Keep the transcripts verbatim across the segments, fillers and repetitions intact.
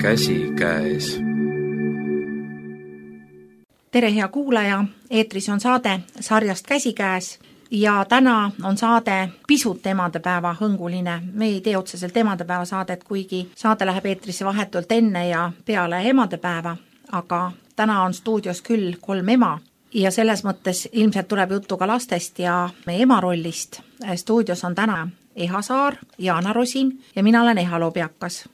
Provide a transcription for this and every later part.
Käsikäes. Tere hea kuulaja, eetris on saade sarjast Käsikäes ja täna on saade pisut emadepäeva hõnguline. Me ei tee otseselt emadepäeva saadet, kuigi saade läheb eetrisse vahetult enne ja peale emadepäeva, aga täna on stuudios küll kolm ema ja selles mõttes ilmselt tuleb juttu ka lastest ja meie ema rollist. Stuudios on täna Eha Saar, Jaana Rosin ja mina olen Eha Lobjakas.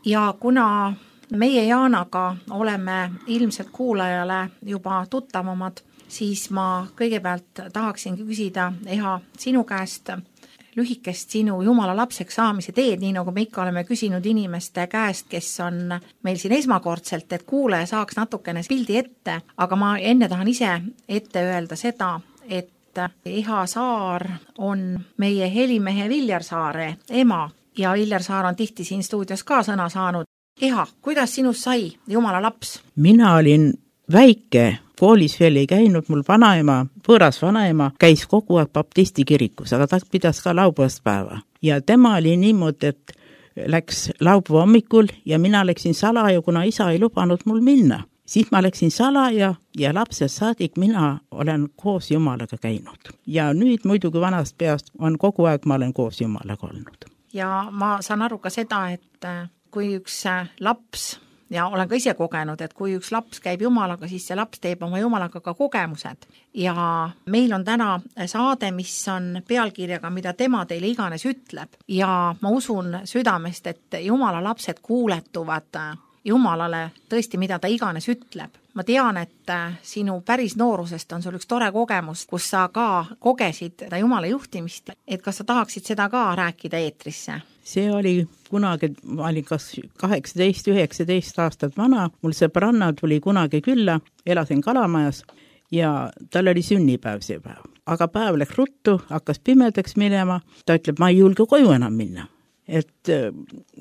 Ja kuna meie Jaanaga oleme ilmselt kuulajale juba tuttavamad, siis ma kõigepealt tahaksin küsida, Eha, sinu käest lühikest sinu Jumala lapseks saamise teed, nii nagu me ikka oleme küsinud inimeste käest, kes on meil siin esmakordselt, et kuulaja saaks natukene pildi ette, aga ma enne tahan ise ette öelda seda, et Eha Saar on meie helimehe Viljar Saare ema ja Viljar Saar on tihti siin stuudios ka sõna saanud. Eha, kuidas sinust sai Jumala laps? Mina olin väike, koolis veel ei käinud, mul vanaema, võõras vanaema käis kogu aeg baptisti kirikus, aga ta pidas ka laupäevaspäeva. Ja tema oli niimoodi, et läks laupäeva hommikul ja mina läksin salaja, kuna isa ei lubanud mul minna. Siis ma läksin salaja ja lapsest saadik mina olen koos Jumalaga käinud. Ja nüüd muidugi vanast peast on kogu aeg ma olen koos Jumalaga olnud. Ja ma saan aru ka seda, et kui üks laps, ja olen ka ise kogenud, et kui üks laps käib Jumalaga, siis see laps teeb oma Jumalaga ka kogemused. Ja meil on täna saade, mis on pealkirjaga, mida tema teile iganes ütleb. Ja ma usun südamest, et Jumala lapsed kuuletuvad Jumalale tõesti, mida ta iganes ütleb. Ma tean, et sinu päris noorusest on sul üks tore kogemus, kus sa ka kogesid Jumala juhtimist, et kas sa tahaksid seda ka rääkida eetrisse? See oli kunagi, ma olin kas kaheksateist üheksateist aastat vana, mul sõbranna tuli kunagi külla, elasin Kalamajas ja tal oli sünnipäev see päev. Aga päev läks ruttu, hakkas pimedaks minema, ta ütleb, ma ei julge koju enam minna. Et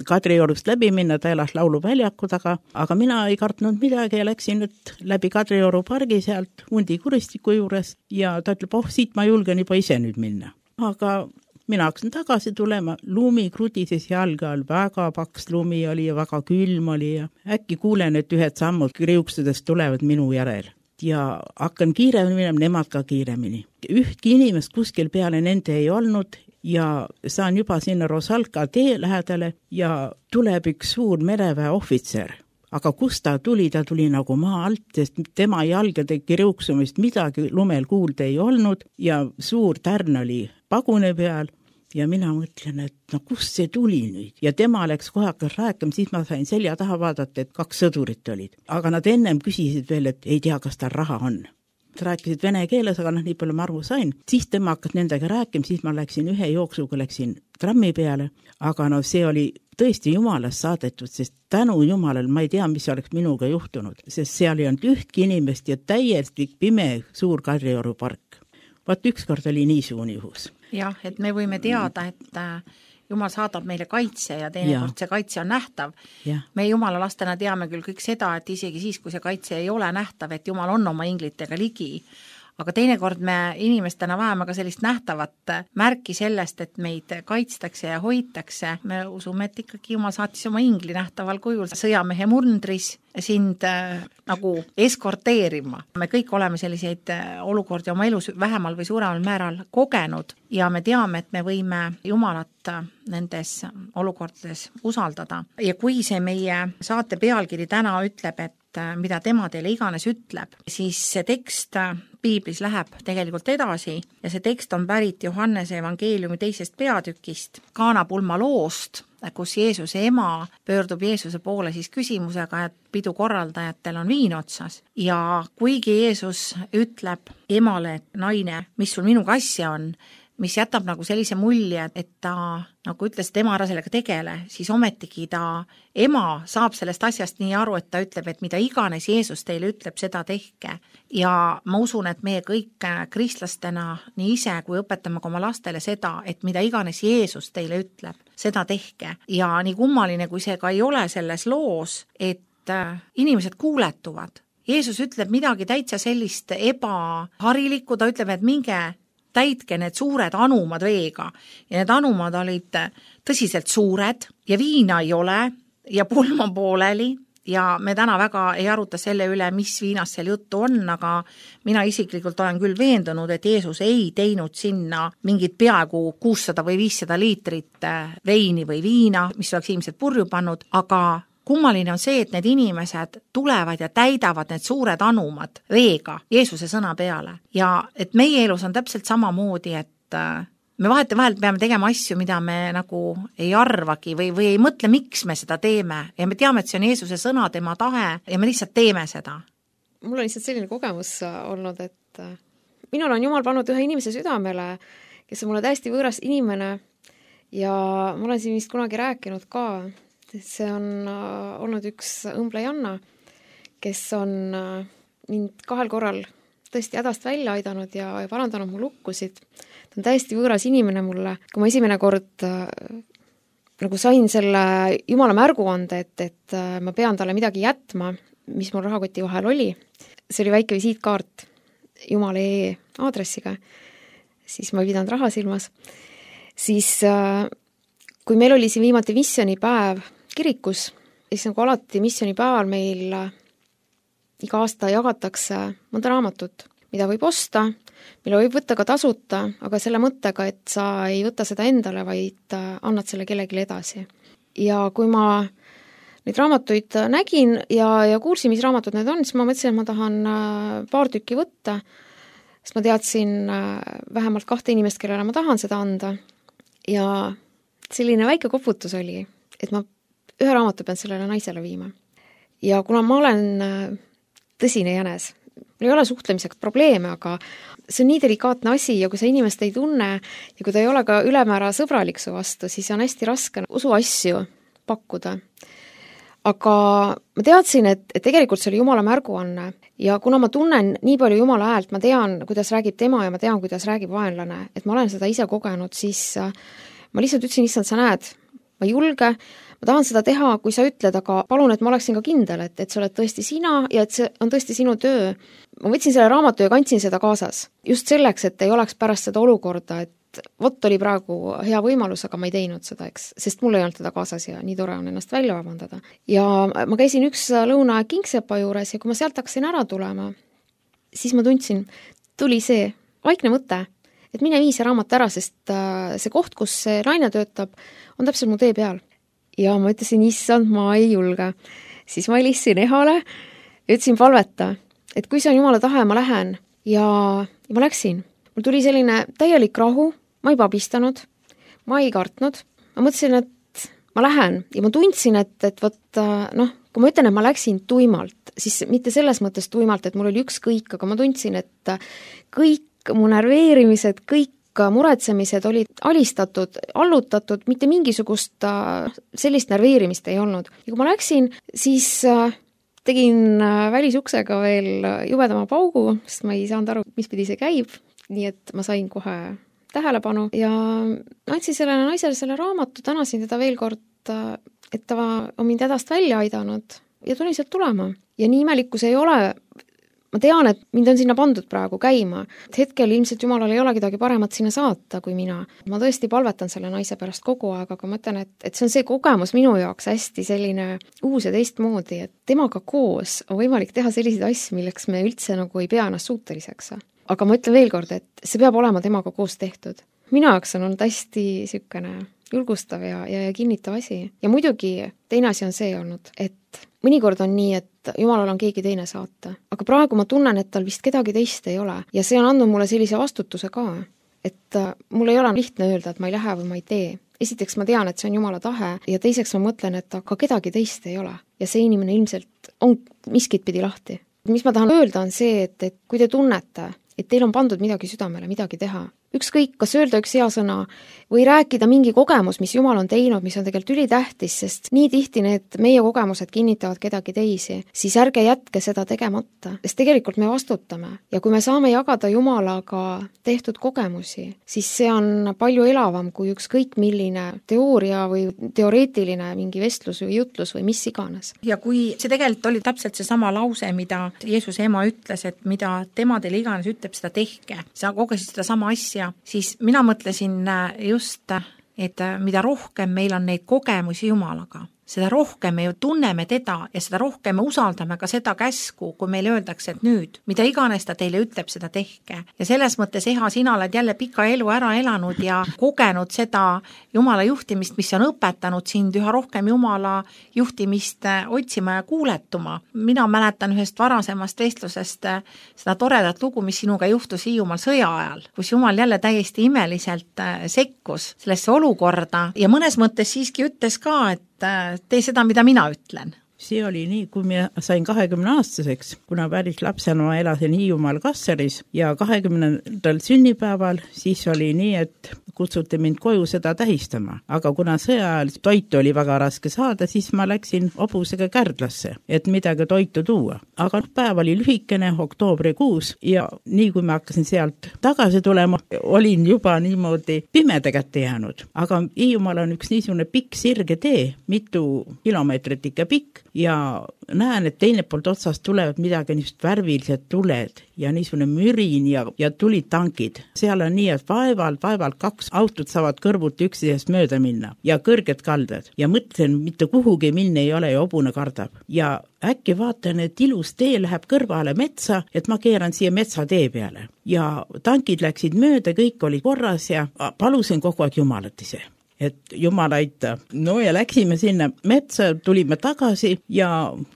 Kadriorust läbi minna, ta elas lauluväljaku taga, aga mina ei kartnud midagi ja läksin nüüd läbi Kadrioru pargi sealt hundi kuristiku juures ja ta ütleb, oh, siit ma julgen juba ise nüüd minna. Aga mina hakkasin tagasi tulema, lumi krudises jalga all, väga paks lumi oli ja väga külm oli ja äkki kuulen, et ühed sammud kriuksudest tulevad minu järel. Ja hakkan kiiremini minema, nemad ka kiiremini. Ühtki inimest kuskil peale nende ei olnud ja saan juba sinna Rosalka tee lähedale ja tuleb üks suur mereväe ohvitser. Aga kus ta tuli, ta tuli nagu maa alt, sest tema jalgade kriuksumist midagi lumel kuulda ei olnud ja suur tärn oli pagune peal ja mina mõtlen, et no kus see tuli nüüd? Ja tema läks kohe hakkas rääkima, siis ma sain selja taha vaadata, et kaks sõdurit olid. Aga nad ennem küsisid veel, et ei tea, kas tal raha on. Rääkisid vene keeles, aga noh, nii palju ma aru sain. Siis tema hakkas nendega rääkima, siis ma läksin ühe jooksuga, läksin trammi peale, aga no see oli tõesti Jumalast saadetud, sest tänu Jumalal ma ei tea, mis oleks minuga juhtunud, sest seal ei olnud ühtki inimest ja täiesti pime suur Kadrioru park. Vaat ükskord oli nii suuni juhus. Jah, et me võime teada, et Jumal saadab meile kaitse ja teinekord see kaitse on nähtav. Ja. Me Jumala lastena teame küll kõik seda, et isegi siis, kui see kaitse ei ole nähtav, et Jumal on oma inglitega ligi, aga teinekord me inimestena vajame ka sellist nähtavat märki sellest, et meid kaitstakse ja hoitakse. Me usume, et ikkagi Jumal saatis oma ingli nähtaval kujul sõjamehe mundris sind äh, nagu eskorteerima. Me kõik oleme selliseid olukordi oma elus vähemal või suuremal määral kogenud ja me teame, et me võime Jumalat nendes olukordades usaldada. Ja kui see meie saate pealkiri täna ütleb, et mida tema teile iganes ütleb, siis see tekst Piiblis läheb tegelikult edasi ja see tekst on pärit Johannese evangeeliumi teisest peatükist, Kaanapulma loost, kus Jeesuse ema pöördub Jeesuse poole siis küsimusega, et pidu korraldajatel on viin otsas. Ja kuigi Jeesus ütleb emale, et naine, mis sul minuga asja on, mis jätab nagu sellise mulje, et ta, nagu ütles, et ema ära sellega tegele, siis ometigi ta, ema saab sellest asjast nii aru, et ta ütleb, et mida iganes Jeesus teile ütleb, seda tehke. Ja ma usun, et meie kõik kristlastena nii ise, kui õpetame ka oma lastele seda, et mida iganes Jeesus teile ütleb, seda tehke. Ja nii kummaline, kui see ka ei ole selles loos, et inimesed kuuletuvad. Jeesus ütleb midagi täitsa sellist ebaharilikku, ta ütleb, et minge täitke need suured anumad veega ja need anumad olid tõsiselt suured ja viina ei ole ja pulm on pooleli ja me täna väga ei aruta selle üle, mis viinast seal juttu on, aga mina isiklikult olen küll veendunud, et Jeesus ei teinud sinna mingit peaaegu kuussada või viissada liitrit veini või viina, mis oleks ilmselt purju pannud, aga kummaline on see, et need inimesed tulevad ja täidavad need suured anumad veega Jeesuse sõna peale ja et meie elus on täpselt samamoodi, et me vahete vahel peame tegema asju, mida me nagu ei arvagi või, või ei mõtle, miks me seda teeme ja me teame, et see on Jeesuse sõna, tema tahe ja me lihtsalt teeme seda. Mul on lihtsalt selline kogemus olnud, et minul on Jumal pannud ühe inimese südamele, kes on mulle täiesti võõras inimene ja ma olen siin vist kunagi rääkinud ka. See on olnud üks õmble Janna, kes on mind kahel korral tõesti hädast välja aidanud ja parandanud mu lukkusid. Ta on täiesti võõras inimene mulle. Kui ma esimene kord nagu sain selle Jumala märguande, et, et ma pean talle midagi jätma, mis mul rahakoti vahel oli, see oli väike visiitkaart Jumala E aadressiga, siis ma ei pidanud raha silmas, siis kui meil oli siin viimati missioonipäev kirikus, siis nagu alati missioonipäeval meil iga aasta jagatakse mõnda raamatut, mida võib osta, mille võib võtta ka tasuta, aga selle mõttega, et sa ei võta seda endale, vaid annad selle kellelegi edasi. Ja kui ma neid raamatuid nägin ja, ja kuulsin, mis raamatud need on, siis ma mõtlesin, et ma tahan paar tükki võtta, sest ma teadsin vähemalt kahte inimest, kellele ma tahan seda anda. Ja selline väike koputus oli, et ma ühe raamatu pean sellele naisele viima. Ja kuna ma olen tõsine jänes, mul ei ole suhtlemiseks probleeme, aga see on nii delikaatne asi ja kui sa inimest ei tunne ja kui ta ei ole ka ülemäära sõbralik su vastu, siis on hästi raske usuasju pakkuda. Aga ma teadsin, et, et tegelikult see oli Jumala märguanne ja kuna ma tunnen nii palju Jumala häält, ma tean, kuidas räägib tema ja ma tean, kuidas räägib vaenlane, et ma olen seda ise kogenud, siis ma lihtsalt ütlesin, issand, sa näed, ma ei julge, ma tahan seda teha, kui sa ütled, aga palun, et ma oleksin ka kindel, et, et sa oled tõesti sina ja et see on tõesti sinu töö. Ma võtsin selle raamatu ja kandsin seda kaasas. Just selleks, et ei oleks pärast seda olukorda, et vot oli praegu hea võimalus, aga ma ei teinud seda, eks, sest mul ei olnud teda kaasas ja nii tore on ennast välja vabandada. Ja ma käisin üks lõuna Kingsepa juures ja kui ma sealt hakkasin ära tulema, siis ma tundsin, tuli see vaikne mõte, et mine vii see raamat ära, sest see koht, kus see naine töötab, on täpselt mu tee peal. Ja ma ütlesin, issand, ma ei julge. Siis ma helistasin Ehale, ütlesin palveta, et kui see on Jumala tahe, ma lähen. Ja, ja ma läksin. Mul tuli selline täielik rahu, ma ei pabistanud, ma ei kartnud. Ma mõtlesin, et ma lähen ja ma tundsin, et, et võt, noh, kui ma ütlen, et ma läksin tuimalt, siis mitte selles mõttes tuimalt, et mul oli ükskõik, aga ma tundsin, et kõik mu nerveerimised, kõik muretsemised olid alistatud, allutatud, mitte mingisugust sellist nerveerimist ei olnud. Ja kui ma läksin, siis tegin välisuksega veel jubedama paugu, sest ma ei saanud aru, mis pidi see käib, nii et ma sain kohe tähelepanu ja andsin sellele naisele selle raamatu, tänasin teda veel kord, et ta on mind hädast välja aidanud ja tulin sealt tulema. Ja nii imelikkus ei ole. Ma tean, et mind on sinna pandud praegu käima. Hetkel ilmselt Jumalal ei ole kedagi paremat sinna saata kui mina. Ma tõesti palvetan selle naise pärast kogu aeg, aga ma mõtlen, et, et see on see kogemus minu jaoks hästi selline uus ja teistmoodi, et temaga koos on võimalik teha selliseid asju, milleks me üldse nagu ei pea ennast suuteliseks. Aga ma ütlen veel kord, et see peab olema temaga koos tehtud. Minu jaoks on olnud hästi sükene julgustav ja, ja, ja kinnitav asi. Ja muidugi teine asi on see olnud, et mõnikord on nii, et Jumalal on keegi teine saata. Aga praegu ma tunnen, et tal vist kedagi teist ei ole. Ja see on andnud mulle sellise vastutuse ka, et mul ei ole lihtne öelda, et ma ei lähe või ma ei tee. Esiteks ma tean, et see on Jumala tahe ja teiseks ma mõtlen, et aga kedagi teist ei ole. Ja see inimene ilmselt on miskit pidi lahti. Mis ma tahan öelda on see, et, et kui te tunnete, et teil on pandud midagi südamele, midagi teha, ükskõik, kas öelda üks hea sõna või rääkida mingi kogemus, mis Jumal on teinud, mis on tegelikult ülitähtis, sest nii tihti need meie kogemused kinnitavad kedagi teisi, siis ärge jätke seda tegemata, sest tegelikult me vastutame. Ja kui me saame jagada Jumalaga tehtud kogemusi, siis see on palju elavam kui ükskõik milline teooria või teoreetiline mingi vestlus või jutlus või mis iganes. Ja kui see tegelikult oli täpselt see sama lause, mida Jeesuse ema ütles, et mida tema teile iganes ütleb, seda tehke, sa kogesid seda sama asja, siis mina mõtlesin just, et mida rohkem meil on neid kogemusi Jumalaga, seda rohkem me ju tunneme teda ja seda rohkem me usaldame ka seda käsku, kui meile öeldakse, et nüüd, mida iganes ta teile ütleb, seda tehke. Ja selles mõttes, Eha, sina oled jälle pika elu ära elanud ja kogenud seda Jumala juhtimist, mis on õpetanud sind üha rohkem Jumala juhtimist otsima ja kuuletuma. Mina mäletan ühest varasemast vestlusest seda toredat lugu, mis sinuga juhtus Hiiumaal sõja ajal, kus Jumal jälle täiesti imeliselt sekkus sellesse olukorda ja mõnes mõttes siiski ütles ka, et tee seda, mida mina ütlen. See oli nii, kui ma sain kahekümne aastaseks, kuna päris lapsena ma elasin Hiiumaal Kassaris ja kahekümnendal sünnipäeval siis oli nii, et kutsuti mind koju seda tähistama. Aga kuna sõja ajal toitu oli väga raske saada, siis ma läksin hobusega Kärdlasse, et midagi toitu tuua. Aga päev oli lühikene, oktoobrikuus ja nii kui ma hakkasin sealt tagasi tulema, olin juba niimoodi pimeda kätte jäänud. Aga Hiiumaal on üks niisugune pikk sirge tee, mitu kilomeetrit ikka pikk ja näen, et teine poolt otsast tulevad midagi niisugust värvilised tuled ja niisugune mürin ja, ja tulid tankid. Seal on nii, et vaevalt, vaevalt kaks autot saavad kõrvuti üksteisest mööda minna ja kõrged kaldad. Ja mõtlen, mitte kuhugi minna ei ole ja hobune kardab. Ja äkki vaatan, et ilus tee läheb kõrvale metsa, et ma keeran siia metsa tee peale. Ja tankid läksid mööda, kõik oli korras ja palusin kogu aeg Jumalat ise. Et Jumal aita. No ja läksime sinna metsa, tulime tagasi ja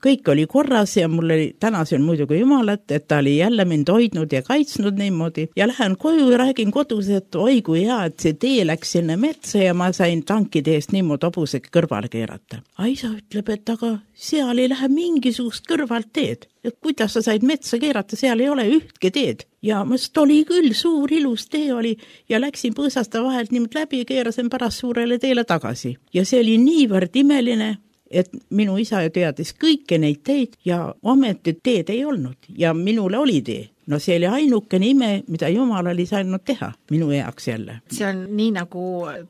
kõik oli korras ja mul oli, tänasin muidugi Jumalat, et ta oli jälle mind hoidnud ja kaitsnud niimoodi ja lähen koju ja räägin kodus, et oi kui hea, et see tee läks sinna metsa ja ma sain tankide eest niimoodi hobusega kõrvale keerata. A isa ütleb, et aga seal ei lähe mingisugust kõrvalt teed. Et kuidas sa said metsa keerata, seal ei ole ühtki teed. Ja mõst oli küll, suur ilus tee oli ja läksin põõsasta vahelt niimoodi läbi ja keerasin pärast suurele teele tagasi. Ja see oli niivõrd imeline, et minu isa teadis kõiki neid teid ja ometi teed ei olnud ja minule oli tee. No see oli ainukene ime, mida Jumal oli saanud teha minu heaks jälle. See on nii, nagu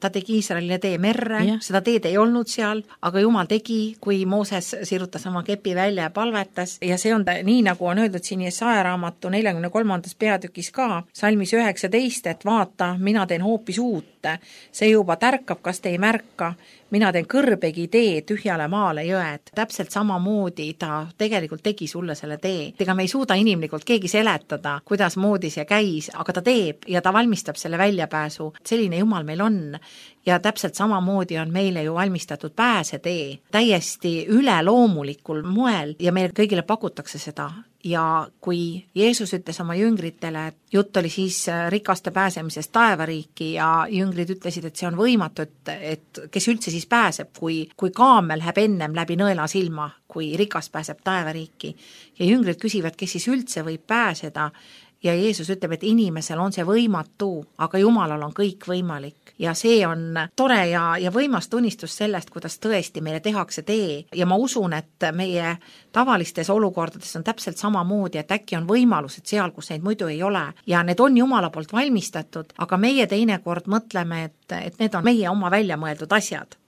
ta tegi Iisraelile tee merre, ja. Seda teed ei olnud seal, aga Jumal tegi, kui Mooses sirutas oma kepi välja ja palvetas. Ja see on ta, nii, nagu on öeldud siin Jesaja raamatu neljakümne kolmandas peatükis ka, salmis üheksateist, et vaata, mina teen hoopis uut. See juba tärkab, kas te ei märka, mina teen kõrbegi tee tühjale maale jõed. Täpselt samamoodi ta tegelikult tegi sulle selle tee. Ega me ei suuda inimlikult keegi seletada, kuidas moodi see käis, aga ta teeb ja ta valmistab selle väljapääsu. Selline Jumal meil on ja täpselt samamoodi on meile ju valmistatud pääsetee täiesti üleloomulikul moel ja meile kõigile pakutakse seda. Ja kui Jeesus ütles oma jüngritele, et jutt oli siis rikaste pääsemisest taevariiki ja jüngrid ütlesid, et see on võimatu, et, et kes üldse siis pääseb, kui, kui kaamel läheb ennem läbi nõela silma, kui rikas pääseb taevariiki. Ja jüngrid küsivad, kes siis üldse võib pääseda ja Jeesus ütleb, et inimesel on see võimatu, aga Jumalal on kõik võimalik. Ja see on tore ja, ja võimas tunnistus sellest, kuidas tõesti meile tehakse tee. Ja ma usun, et meie tavalistes olukordades on täpselt samamoodi, et äkki on võimalused seal, kus neid muidu ei ole. Ja need on Jumala poolt valmistatud, aga meie teinekord mõtleme, et, et need on meie oma välja mõeldud asjad.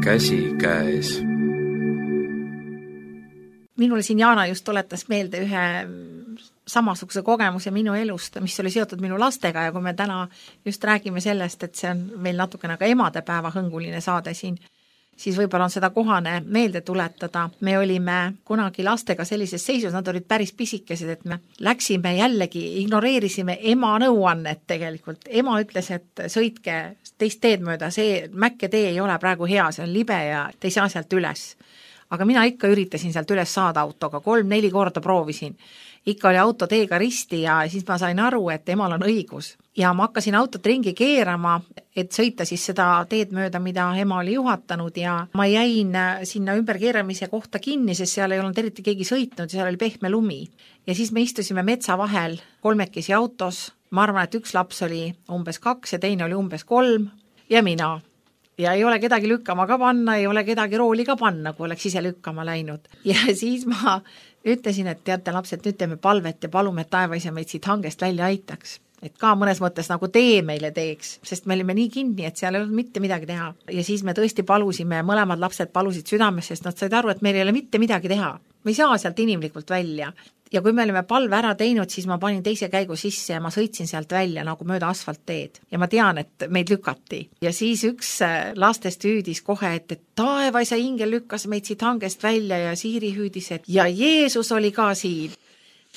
Käsi käes. Minule siin Jaana just tuletas meelde ühe samasuguse kogemuse minu elust, mis oli seotud minu lastega ja kui me täna just räägime sellest, et see on meil natukene ka emadepäeva hõnguline saade siin, siis võib-olla on seda kohane meelde tuletada. Me olime kunagi lastega sellises seisus, nad olid päris pisikesed, et me läksime jällegi, ignoreerisime ema nõuannet tegelikult. Ema ütles, et sõitke teist teed mööda, see mäkke tee ei ole praegu hea, see on libe ja te ei saa sealt üles. Aga mina ikka üritasin sealt üles saada autoga, kolm-neli korda proovisin. Ikka oli auto teega risti ja siis ma sain aru, et emal on õigus. Ja ma hakkasin autot ringi keerama, et sõita siis seda teed mööda, mida ema oli juhatanud ja ma jäin sinna ümberkeeramise kohta kinni, sest seal ei olnud eriti keegi sõitnud, seal oli pehme lumi. Ja siis me istusime metsa vahel kolmekesi autos. Ma arvan, et üks laps oli umbes kaks ja teine oli umbes kolm ja mina. Ja ei ole kedagi lükkama ka panna, ei ole kedagi rooli ka panna, kui oleks ise lükkama läinud. Ja siis ma ütlesin, et teate lapsed, nüüd teeme palvet ja palume, et taevaisa meid siit hangest välja aitaks. et ka mõnes mõttes nagu tee meile teeks, sest me olime nii kinni, et seal ei olnud mitte midagi teha. Ja siis me tõesti palusime, mõlemad lapsed palusid südames, sest nad said aru, et meil ei ole mitte midagi teha. Me ei saa sealt inimlikult välja. Ja kui me olime palve ära teinud, siis ma panin teise käigu sisse ja ma sõitsin sealt välja nagu mööda asfaltteed. Ja ma tean, et meid lükati. Ja siis üks lastest hüüdis kohe, et, et taevaisa ingel lükkas meid siit hangest välja ja Siiri hüüdis, et ja Jeesus oli ka siin.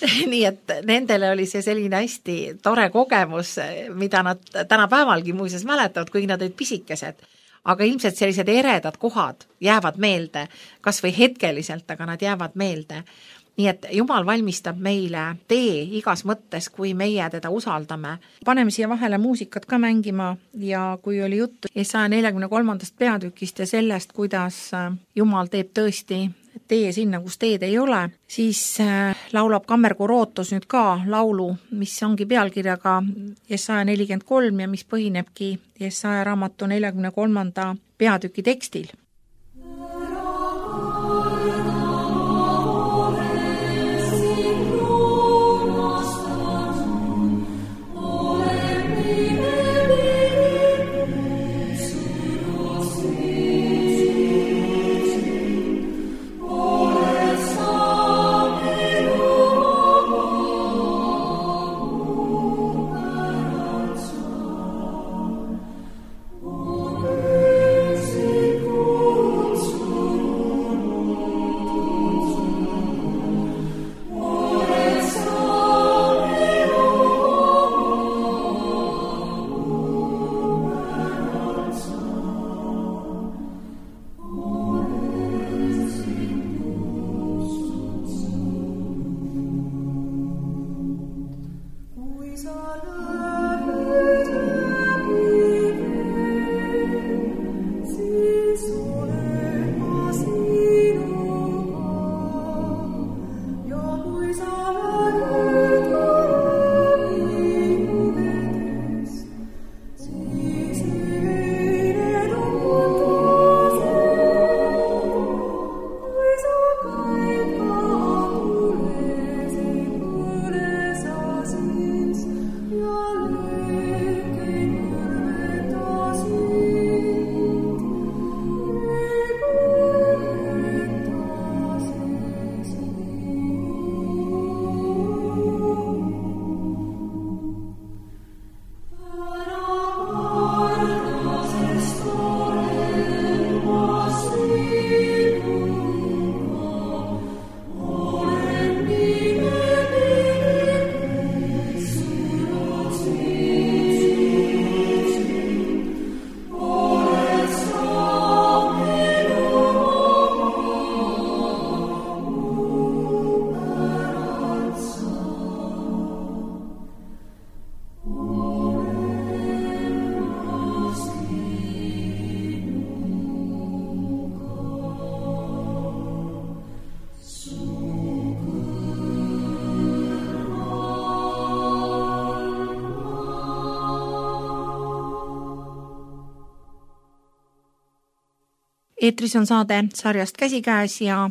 Nii et nendele oli see selline hästi tore kogemus, mida nad tänapäevalgi muuseas mäletavad, kui nad olid pisikesed. Aga ilmselt sellised eredad kohad jäävad meelde, kas või hetkeliselt, aga nad jäävad meelde. Nii et Jumal valmistab meile tee igas mõttes, kui meie teda usaldame. Paneme siia vahele muusikat ka mängima ja kui oli juttu Jesaja nelikümmend kolm peatükist ja sellest, kuidas Jumal teeb tõesti tee sinna, kus teed ei ole, siis laulab Kammerkoor Ootus nüüd ka laulu, mis ongi pealkirjaga Jesaja nelikümmend kolm ja mis põhinebki Jesaja raamatu nelikümmend kolm peatüki tekstil. Eetris on saade sarjast Käsikäes ja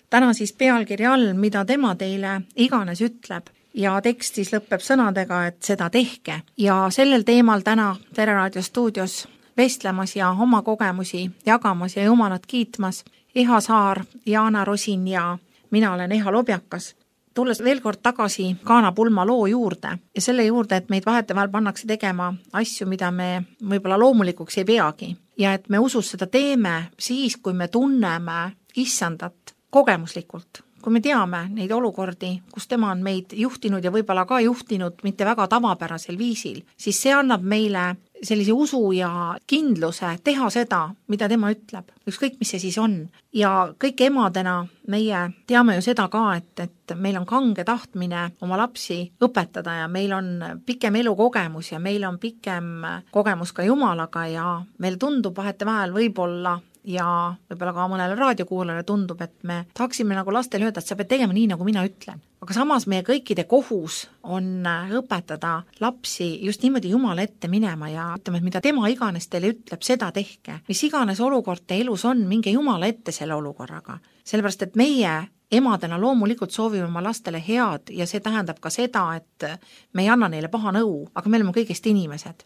täna siis pealkirja all, mida tema teile iganes ütleb ja tekst siis lõpeb sõnadega, et seda tehke. Ja sellel teemal täna Tere Raadio stuudios vestlemas ja oma kogemusi jagamas ja Jumalat kiitmas Eha Saar, Jaana Rosin ja mina olen Eha Lobjakas. Tulles veel kord tagasi Kaana Pulma loo juurde ja selle juurde, et meid vahetevahel pannakse tegema asju, mida me võib-olla loomulikuks ei peagi. Ja et me usus seda teeme siis, kui me tunneme issandat kogemuslikult. Kui me teame neid olukordi, kus tema on meid juhtinud ja võib-olla ka juhtinud mitte väga tavapärasel viisil, siis see annab meile sellise usu ja kindluse teha seda, mida tema ütleb. Ükskõik, mis see siis on. Ja kõik emadena meie teame ju seda ka, et, et meil on kange tahtmine oma lapsi õpetada ja meil on pikem elukogemus ja meil on pikem kogemus ka Jumalaga ja meil tundub vahetevahel võib-olla ja võib-olla ka mõnele raadiokuulajale tundub, et me tahaksime nagu lastele öelda, et sa pead tegema nii, nagu mina ütlen. Aga samas meie kõikide kohus on õpetada lapsi just niimoodi Jumala ette minema ja ütleme, et mida tema iganes teile ütleb, seda tehke. Mis iganes olukord te elus on, minge Jumala ette selle olukorraga. Sellepärast, et meie emadena loomulikult soovime oma lastele head ja see tähendab ka seda, et me ei anna neile paha nõu, aga me oleme kõigest inimesed.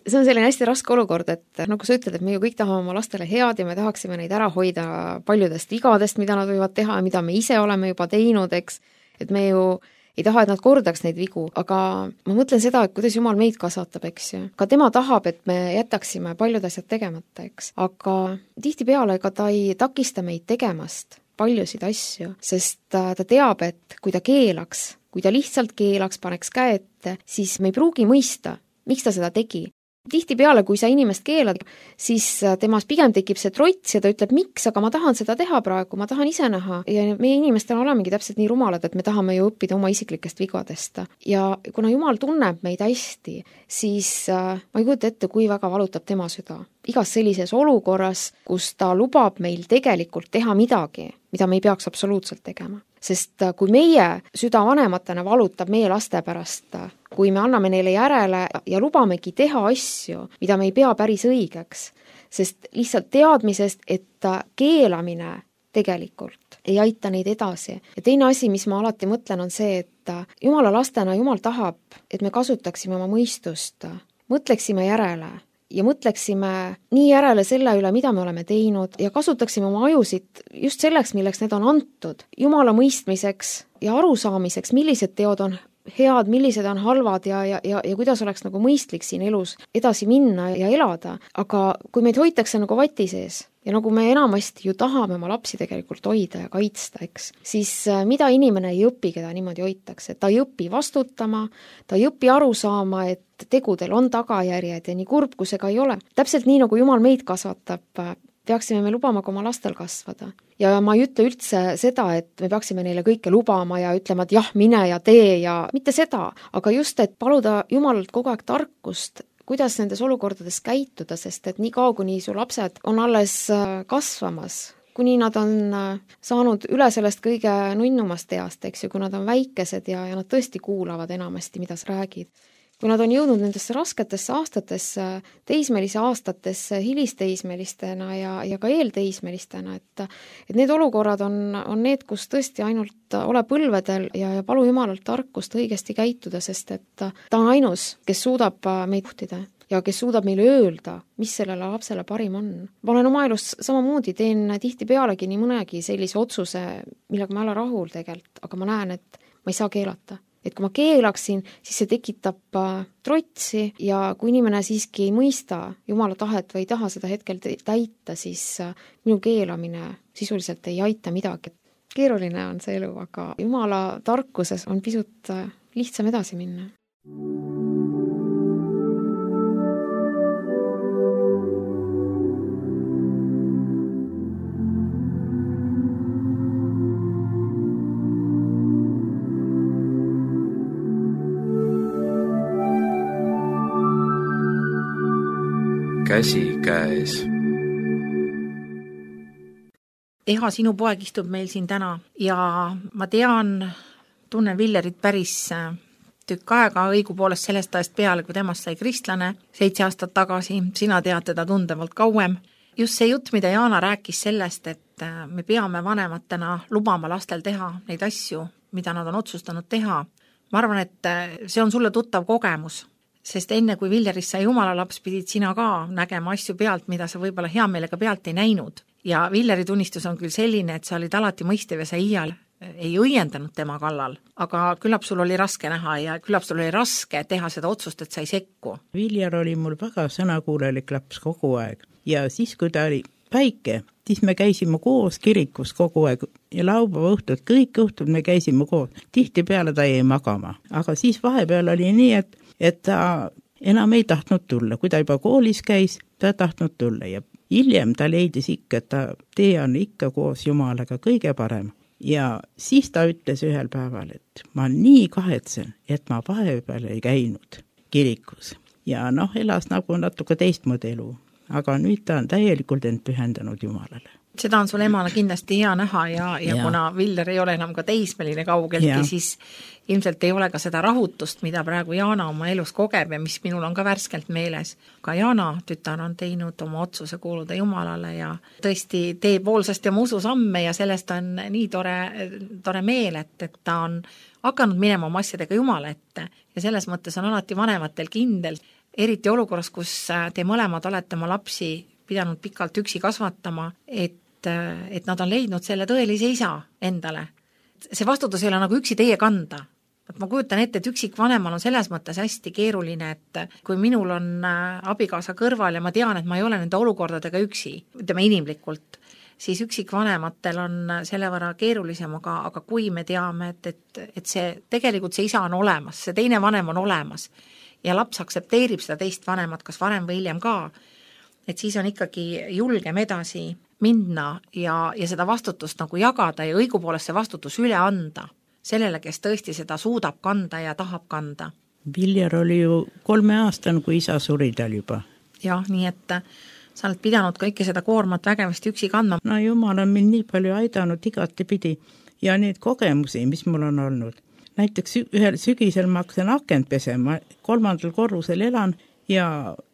See on selline hästi raske olukord, et nagu sa ütled, et me ju kõik tahame oma lastele head ja me tahaksime neid ära hoida paljudest vigadest, mida nad võivad teha ja mida me ise oleme juba teinud, eks, et me ju ei taha, et nad kordaks neid vigu, aga ma mõtlen seda, et kuidas Jumal meid kasvatab, eks ju. Ka tema tahab, et me jätaksime paljud asjad tegemata, eks. Aga tihtipeale ega ta ei takista meid tegemast paljusid asju, sest ta teab, et kui ta keelaks, kui ta lihtsalt keelaks, paneks käe ette, siis me ei pruugi mõista, miks ta seda tegi. Tihtipeale, kui sa inimest keelad, siis temas pigem tekib see trots ja ta ütleb, miks, aga ma tahan seda teha praegu, ma tahan ise näha. Ja meie inimestel olemegi täpselt nii rumalad, et me tahame ju õppida oma isiklikest vigadest. Ja kuna Jumal tunneb meid hästi, siis ma ei kujuta ette, kui väga valutab tema süda. Igas sellises olukorras, kus ta lubab meil tegelikult teha midagi, mida me ei peaks absoluutselt tegema. Sest kui meie süda vanematena valutab meie laste pärast, kui me anname neile järele ja lubamegi teha asju, mida me ei pea päris õigeks, sest lihtsalt teadmisest, et keelamine tegelikult ei aita neid edasi. Ja teine asi, mis ma alati mõtlen, on see, et Jumala lastena Jumal tahab, et me kasutaksime oma mõistust, mõtleksime järele ja mõtleksime nii järele selle üle, mida me oleme teinud ja kasutaksime oma ajusid just selleks, milleks need on antud. Jumala mõistmiseks ja arusaamiseks, millised teod on head, millised on halvad ja, ja, ja, ja kuidas oleks nagu mõistlik siin elus edasi minna ja elada. Aga kui meid hoitakse nagu vati sees ja nagu me enamasti ju tahame oma lapsi tegelikult hoida ja kaitsta, eks, siis mida inimene ei õpi, keda niimoodi hoitakse. Ta ei õpi vastutama, ta ei õpi aru saama, et tegudel on tagajärjed ja nii kurb, kui see ka ei ole. Täpselt nii, nagu Jumal meid kasvatab, peaksime me lubama ka oma lastel kasvada. Ja ma ei ütle üldse seda, et me peaksime neile kõike lubama ja ütlema, et jah, mine ja tee ja mitte seda, aga just, et paluda Jumalalt kogu aeg tarkust, kuidas nendes olukordades käituda, sest et nii kaua, kuni su lapsed on alles kasvamas, kuni nad on saanud üle sellest kõige nunnumast east, eks ju, kui nad on väikesed ja, ja nad tõesti kuulavad enamasti, mida sa räägid. Kui nad on jõudnud nendesse rasketesse aastatesse, teismelise aastatesse, hilisteismelistena ja, ja ka eelteismelistena, et, et need olukorrad on, on need, kus tõesti ainult ole põlvedel ja, ja palu Jumalalt tarkust õigesti käituda, sest et ta on ainus, kes suudab meid juhtida ja kes suudab meile öelda, mis sellele lapsele parim on. Ma olen oma elus samamoodi, teen tihti pealegi nii mõnegi sellise otsuse, millega ma ei ole rahul tegelikult, aga ma näen, et ma ei saa keelata. Et kui ma keelaksin, siis see tekitab trotsi ja kui inimene siiski ei mõista Jumala tahet või ei taha seda hetkel täita, siis minu keelamine sisuliselt ei aita midagi. Keeruline on see elu, aga Jumala tarkuses on pisut lihtsam edasi minna. Käsi käes. Eha, sinu poeg istub meil siin täna ja ma tean, tunnen Villerit päris tükk aega, õigupoolest sellest ajast peale, kui temast sai kristlane seitse aastat tagasi, sina tead teda tundevalt kauem. Just see jutt, mida Jaana rääkis sellest, et me peame vanematena lubama lastel teha neid asju, mida nad on otsustanud teha. Ma arvan, et see on sulle tuttav kogemus. Sest enne, kui Villerist sai Jumala laps, pidid sina ka nägema asju pealt, mida sa võib-olla hea meelega pealt ei näinud. Ja Villeri tunnistus on küll selline, et sa olid alati mõistev ja sa iial ei õiendanud tema kallal. Aga küllap sul oli raske näha ja küllap sul oli raske teha seda otsust, et sa ei sekku. Viljer oli mul väga sõnakuulelik laps kogu aeg. Ja siis, kui ta oli väike, siis me käisime koos kirikus kogu aeg ja laupäeva õhtud, kõik õhtud me käisime koos. Tihti peale ta jäi magama. Aga siis vahepeal oli nii, et et ta enam ei tahtnud tulla. Kui ta juba koolis käis, ta ei tahtnud tulla ja hiljem ta leidis ikka, et ta tee on ikka koos Jumalaga kõige parem. Ja siis ta ütles ühel päeval, et ma nii kahetsen, et ma vahepeal ei käinud kirikus. Ja noh, elas nagu natuke teistmoodi elu, aga nüüd ta on täielikult end pühendanud Jumalale. seda on sul emana kindlasti hea näha ja, ja, ja. kuna Viljar ei ole enam ka teismeline kaugeltki, siis ilmselt ei ole ka seda rahutust, mida praegu Jaana oma elus kogeb ja mis minul on ka värskelt meeles. Ka Jaana tütar on teinud oma otsuse kuuluda Jumalale ja tõesti teeb hoolsast ja musu samme ja sellest on nii tore, tore meel, et, et ta on hakanud minema oma asjadega Jumala ette ja selles mõttes on alati vanematel kindel, eriti olukorras, kus te mõlemad olete oma lapsi pidanud pikalt üksi kasvatama, et et nad on leidnud selle tõelise isa endale. See vastutus ei ole nagu üksi teie kanda. Ma kujutan ette, et üksik vanemal on selles mõttes hästi keeruline, et kui minul on abikaasa kõrval ja ma tean, et ma ei ole nende olukordadega üksi, ütleme inimlikult, siis üksik vanematel on selle võrra keerulisem, aga, aga kui me teame, et, et, et see, tegelikult see isa on olemas, see teine vanem on olemas ja laps aktsepteerib seda teist vanemat, kas varem või hiljem ka, et siis on ikkagi julgem edasi minna ja, ja seda vastutust nagu jagada ja õigupoolest see vastutus üle anda sellele, kes tõesti seda suudab kanda ja tahab kanda. Viljar oli ju kolmeaastane, kui isa suri tal juba. Jah, nii et sa oled pidanud kõike seda koormat vägevasti üksi kandma. No Jumal on mind nii palju aidanud igati pidi ja need kogemusi, mis mul on olnud. Näiteks ühel sügisel ma hakkasin akent pesema, kolmandal korrusel elan ja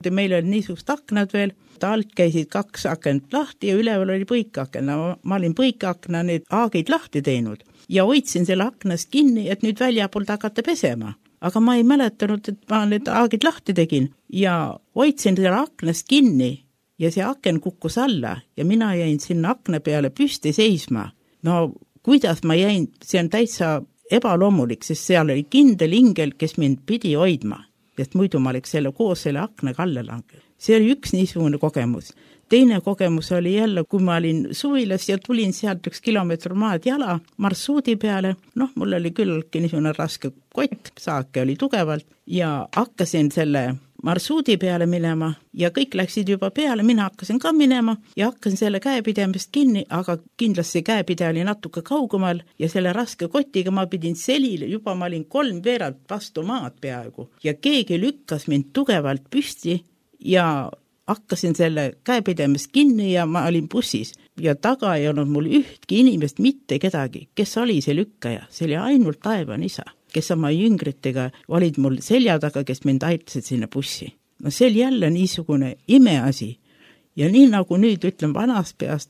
meil oli niisugust aknad veel, ta alt käisid kaks akent lahti ja üleval oli põikakna. Ma olin põikakna need aagid lahti teinud ja hoidsin selle aknast kinni, et nüüd väljapoolt hakata pesema. Aga ma ei mäletanud, et ma need aagid lahti tegin ja hoidsin selle aknast kinni ja see aken kukkus alla ja mina jäin sinna akna peale püsti seisma. No kuidas ma jäin, see on täitsa ebaloomulik, sest seal oli kindel ingel, kes mind pidi hoidma. Sest muidu ma oleks selle koos selle akna kalle langel. See oli üks niisugune kogemus. Teine kogemus oli jälle, kui ma olin suvilas ja tulin sealt üks kilomeetr maad jala marsruudi peale. Noh, mul oli küllki niisugune raske kott, saake oli tugevalt ja hakkasin selle marsruudi peale minema ja kõik läksid juba peale, mina hakkasin ka minema ja hakkasin selle käepidemist kinni, aga kindlasti käepide oli natuke kaugumal ja selle raske kotiga ma pidin selile, juba ma olin kolm veeralt vastu maad peaaegu ja keegi lükkas mind tugevalt püsti ja hakkasin selle käepidemist kinni ja ma olin bussis ja taga ei olnud mul ühtki inimest, mitte kedagi, kes oli see lükkaja, see oli ainult taevan isa, kes oma jüngritega olid mul selja taga, kes mind aitasid sinna bussi. No see oli jälle niisugune imeasi ja nii nagu nüüd ütlen vanast peast,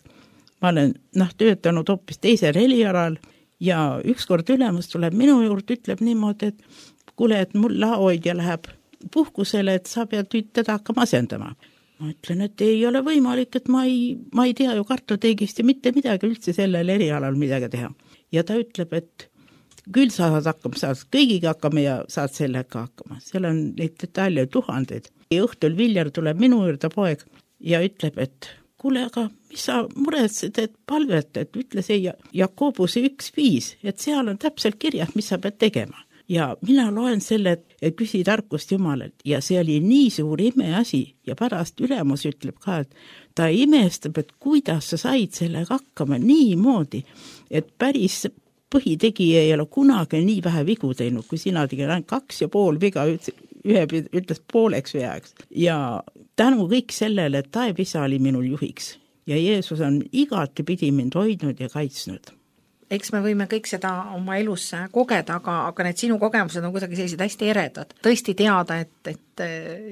ma olen noh, töötanud hoopis teisel helialal ja ükskord ülemus tuleb minu juurde, ütleb niimoodi, et kuule, et mul laoidja läheb puhkusele, et sa pead teda hakkama asendama. Ma ütlen, et ei ole võimalik, et ma ei, ma ei tea ju kartoteegist ja mitte midagi üldse sellel erialal midagi teha. Ja ta ütleb, et küll sa saad hakkama, saad kõigiga hakkama ja saad sellega hakkama. Seal on neid detaile tuhandeid. Ja õhtul Viljar tuleb minu juurde poeg ja ütleb, et kuule, aga mis sa muretsed, et palvet, et ütle see Jakobuse üks viis, et seal on täpselt kirjas, mis sa pead tegema. Ja mina loen selle, et küsi tarkust Jumalalt ja see oli nii suur imeasi ja pärast ülemus ütleb ka, et ta imestab, et kuidas sa said sellega hakkama nii moodi, et päris põhitegija ei ole kunagi nii vähe vigu teinud, kui sina tegid ainult kaks ja pool viga, ühe ütles pooleks veaks. Ja tänu kõik sellele, et taevisa oli minul juhiks ja Jeesus on igati pidi mind hoidnud ja kaitsnud. Eks me võime kõik seda oma elus kogeda, aga, aga need sinu kogemused on kuidagi sellised hästi eredad. Tõesti teada, et, et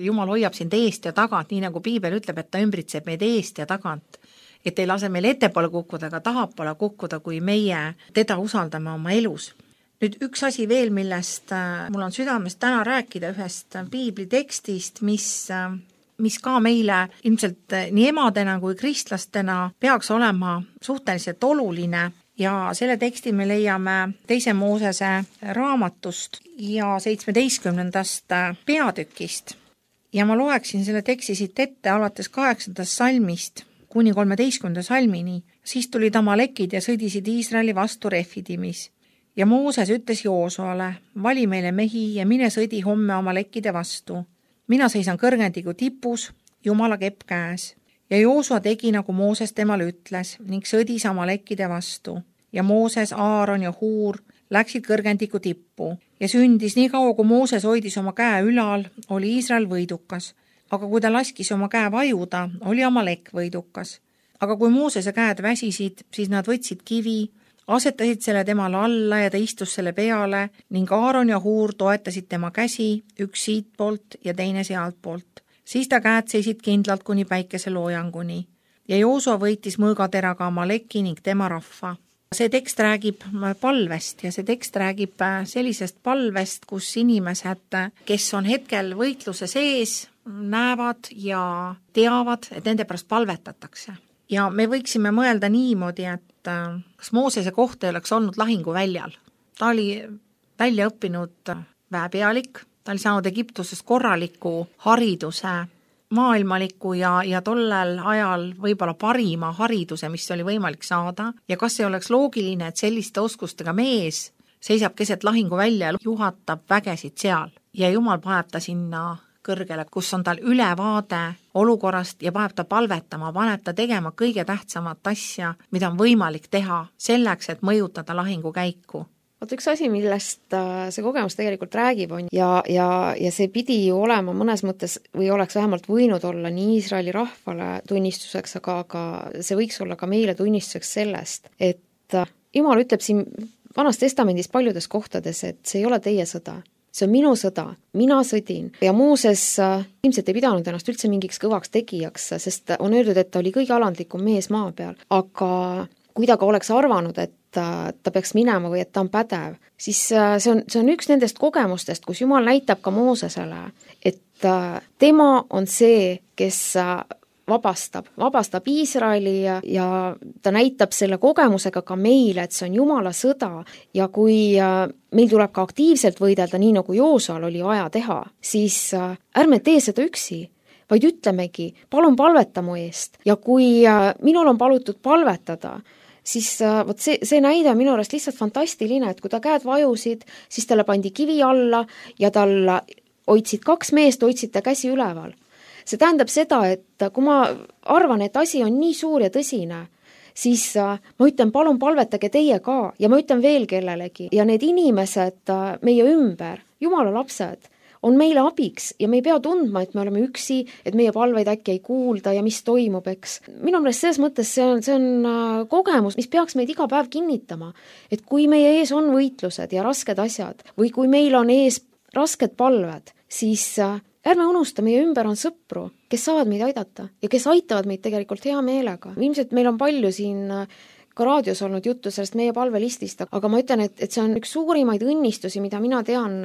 Jumal hoiab sind eest ja tagant, nii nagu Piibel ütleb, et ta ümbritseb meid eest ja tagant. Et ei lase meil ettepoole kukkuda, aga tahapoole kukkuda, kui meie teda usaldame oma elus. Nüüd üks asi veel, millest mul on südamest täna rääkida ühest Piibli tekstist, mis, mis ka meile ilmselt nii emadena kui kristlastena peaks olema suhteliselt oluline. Ja selle teksti me leiame teise Moosese raamatust ja seitsmeteistkümnendast peatükist. Ja ma loeksin selle teksti siit ette alates kaheksandast salmist kuni kolmeteistkümnenda salmini. Siis tulid Amalekid ja sõdisid Iisraeli vastu Refidimis. Ja Mooses ütles Joosuale, vali meile mehi ja mine sõdi homme Amalekide vastu. Mina seisan kõrgendiku tipus, Jumala kepp käes. Ja Joosua tegi, nagu Mooses temale ütles, ning sõdis Amalekide vastu. Ja Mooses, Aaron ja Huur läksid kõrgendiku tippu. Ja sündis nii kaua, kui Mooses hoidis oma käe ülal, oli Iisrael võidukas. Aga kui ta laskis oma käe vajuda, oli Amalek võidukas. aga kui Moosese käed väsisid, siis nad võtsid kivi, asetasid selle temale alla ja ta istus selle peale ning Aaron ja Huur toetasid tema käsi, üks siit poolt ja teine sealt poolt. Siis ta käed seisid kindlalt kuni päikese loojanguni ja Joosua võitis mõõgateraga Amaleki ning tema rahva. See tekst räägib palvest ja see tekst räägib sellisest palvest, kus inimesed, kes on hetkel võitluse sees, näevad ja teavad, et nende pärast palvetatakse. Ja me võiksime mõelda niimoodi, et kas Moosese koht ei oleks olnud lahinguväljal. Ta oli välja õppinud väepealik, ta oli saanud Egiptusest korraliku hariduse, maailmaliku ja, ja tollel ajal võib-olla parima hariduse, mis oli võimalik saada. Ja kas ei oleks loogiline, et selliste oskustega mees seisab keset lahinguvälja ja juhatab vägesid seal. Ja Jumal paneb ta sinna kõrgele, kus on tal ülevaade olukorrast ja paneb ta palvetama, paneb ta tegema kõige tähtsamat asja, mida on võimalik teha selleks, et mõjutada lahingukäiku. Vaat üks asi, millest see kogemus tegelikult räägib on ja, ja, ja see pidi ju olema mõnes mõttes või oleks vähemalt võinud olla nii Iisraeli rahvale tunnistuseks, aga, aga see võiks olla ka meile tunnistuseks sellest, et Jumal ütleb siin Vanas Testamendis paljudes kohtades, et see ei ole teie sõda. See on minu sõda, mina sõdin ja Mooses ilmselt ei pidanud ennast üldse mingiks kõvaks tegijaks, sest on öeldud, et ta oli kõige alandlikum mees maa peal, aga kui ta ka oleks arvanud, et ta peaks minema või et ta on pädev, siis see on, see on üks nendest kogemustest, kus Jumal näitab ka Moosesele, et tema on see, kes vabastab, vabastab Iisraeli ja, ja ta näitab selle kogemusega ka meile, et see on Jumala sõda ja kui meil tuleb ka aktiivselt võidelda, nii nagu Joosual oli vaja teha, siis ärme tee seda üksi, vaid ütlemegi, palun palveta mu eest ja kui minul on palutud palvetada, siis võt see, see näide on minu arust lihtsalt fantastiline, et kui ta käed vajusid, siis talle pandi kivi alla ja tal hoidsid kaks meest, hoidsid ta käsi üleval. See tähendab seda, et kui ma arvan, et asi on nii suur ja tõsine, siis ma ütlen, palun palvetage teie ka ja ma ütlen veel kellelegi. Ja need inimesed meie ümber, Jumala lapsed, on meile abiks ja me ei pea tundma, et me oleme üksi, et meie palveid äkki ei kuulda ja mis toimub, eks. Minu meelest selles mõttes see on, see on kogemus, mis peaks meid iga päev kinnitama, et kui meie ees on võitlused ja rasked asjad või kui meil on ees rasked palved, siis ärme unusta, meie ümber on sõpru, kes saavad meid aidata ja kes aitavad meid tegelikult hea meelega. Ilmselt meil on palju siin ka raadios olnud juttu sellest meie palvelistist, aga ma ütlen, et, et see on üks suurimaid õnnistusi, mida mina tean,